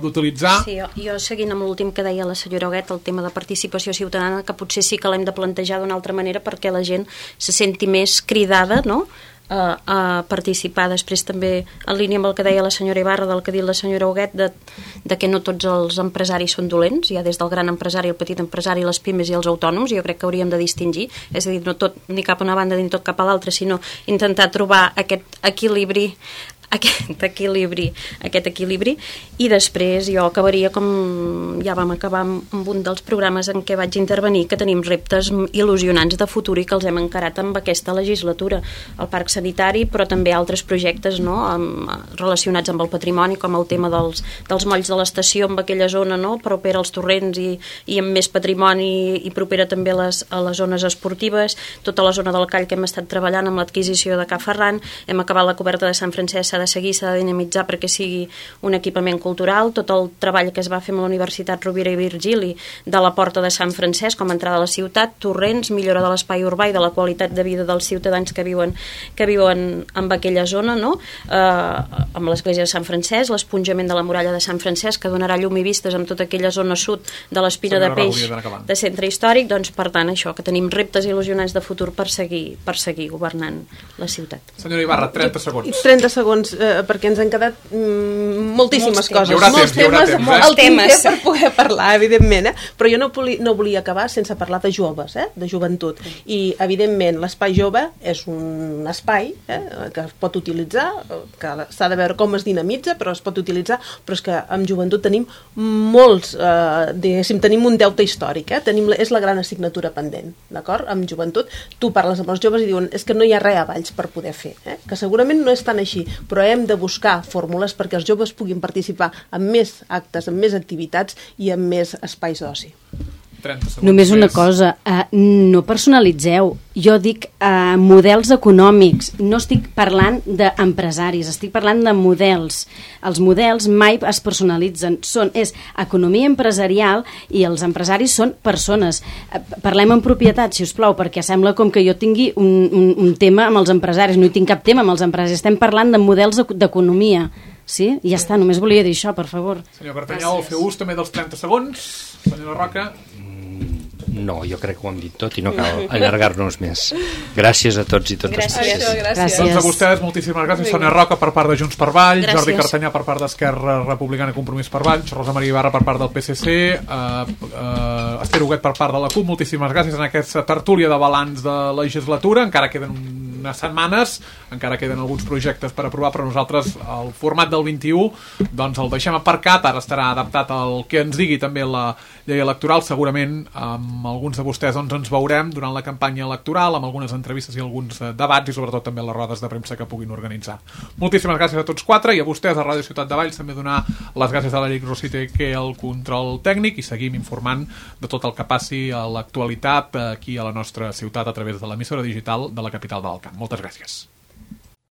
d'utilitzar. Sí, jo, jo seguint amb l'últim que deia la senyora Huguet, el tema de participació ciutadana, que potser sí que l'hem de plantejar d'una altra manera perquè la gent se senti més cridada, no?, A, a participar. Després també en línia amb el que deia la senyora Ibarra, del que ha dit la senyora Huguet, de, de que no tots els empresaris són dolents, hi ha des del gran empresari, el petit empresari, les pimes i els autònoms. Jo crec que hauríem de distingir, és a dir, no tot ni cap a una banda ni tot cap a l'altra, sinó intentar trobar aquest equilibri aquest equilibri, aquest equilibri i després jo acabaria com ja vam acabar amb un dels programes en què vaig intervenir, que tenim reptes il·lusionants de futur i que els hem encarat amb aquesta legislatura, el parc sanitari, però també altres projectes, no?, amb, relacionats amb el patrimoni, com el tema dels, dels molls de l'estació amb aquella zona, no?, propera als torrents i, i amb més patrimoni i propera també a les, a les zones esportives, tota la zona del Call que hem estat treballant amb l'adquisició de Ca Ferran, hem acabat la coberta de Sant Francesc, s'ha de seguir, s'ha de dinamitzar perquè sigui un equipament cultural, tot el treball que es va fer amb la Universitat Rovira i Virgili de la Porta de Sant Francesc com a entrada a la ciutat, torrents, millora de l'espai urbà i de la qualitat de vida dels ciutadans que viuen, que viuen en aquella zona, no? Eh, amb l'església de Sant Francesc, l'esponjament de la muralla de Sant Francesc, que donarà llum i vistes amb tota aquella zona sud de l'Espina de Peix de centre històric. Doncs per tant això, que tenim reptes il·lusionants de futur per seguir, per seguir governant la ciutat. Senyora Ibarra, trenta segons. trenta segons, eh, perquè ens han quedat mm, moltíssimes Molts coses. Hi haurà molts temps, hi haurà temes, temps, eh? el temes per poder parlar, evidentment, eh? Però jo no, poli, no volia acabar sense parlar de joves, eh? De joventut. I, evidentment, l'espai jove és un espai eh? que es pot utilitzar, que s'ha de veure com es dinamitza, però es pot utilitzar, però és que amb joventut tenim molts, eh, diguéssim, tenim un deute històric, eh? Tenim, és la gran assignatura pendent, d'acord? Amb joventut, tu parles amb els joves i diuen és que no hi ha res a Valls per poder fer, eh? Que segurament no és tan així, però hem de buscar fórmules perquè els joves puguin participar en més actes, en més activitats i en més espais d'oci. trenta segons Només una més. cosa, uh, no personalitzeu. Jo dic uh, models econòmics, no estic parlant d'empresaris, estic parlant de models. Els models mai es personalitzen, són, és economia empresarial i els empresaris són persones. Uh, parlem en propietat, si us plau, perquè sembla com que jo tingui un, un, un tema amb els empresaris. No hi tinc cap tema amb els empresaris, estem parlant de models d'economia. Sí? I ja està, només volia dir això, per favor. Senyor Cartanyol, feu ús també dels trenta segons. Senyora Roca. No, jo crec que ho hem dit tot i no cal allargar-nos més. Gràcies a tots i totes. Gràcies. Això, gràcies. Gràcies. Doncs a vostès, moltíssimes gràcies. Sonia Roca per part de Junts per Valls, Gràcies. Jordi Cartanyà per part d'Esquerra Republicana i Compromís per Valls, Rosa Maria Ibarra per part del P C C, uh, uh, Esther Huguet per part de la CUP. Moltíssimes gràcies en aquesta tertúlia de balanç de legislatura. Encara queden unes setmanes, encara queden alguns projectes per aprovar, però nosaltres el format del vint-i-u doncs el deixem aparcat. Ara estarà adaptat al que ens digui també la llei electoral. Segurament amb alguns de vostès doncs, ens veurem durant la campanya electoral, amb algunes entrevistes i alguns eh, debats i sobretot també les rodes de premsa que puguin organitzar. Moltíssimes gràcies a tots quatre i a vostès a Ràdio Ciutat de Valls també donar les gràcies a l'Eric Rosite, que el control tècnic, i seguim informant de tot el que passi a l'actualitat aquí a la nostra ciutat a través de l'emissora digital de la capital de l'Alcamp. Moltes gràcies.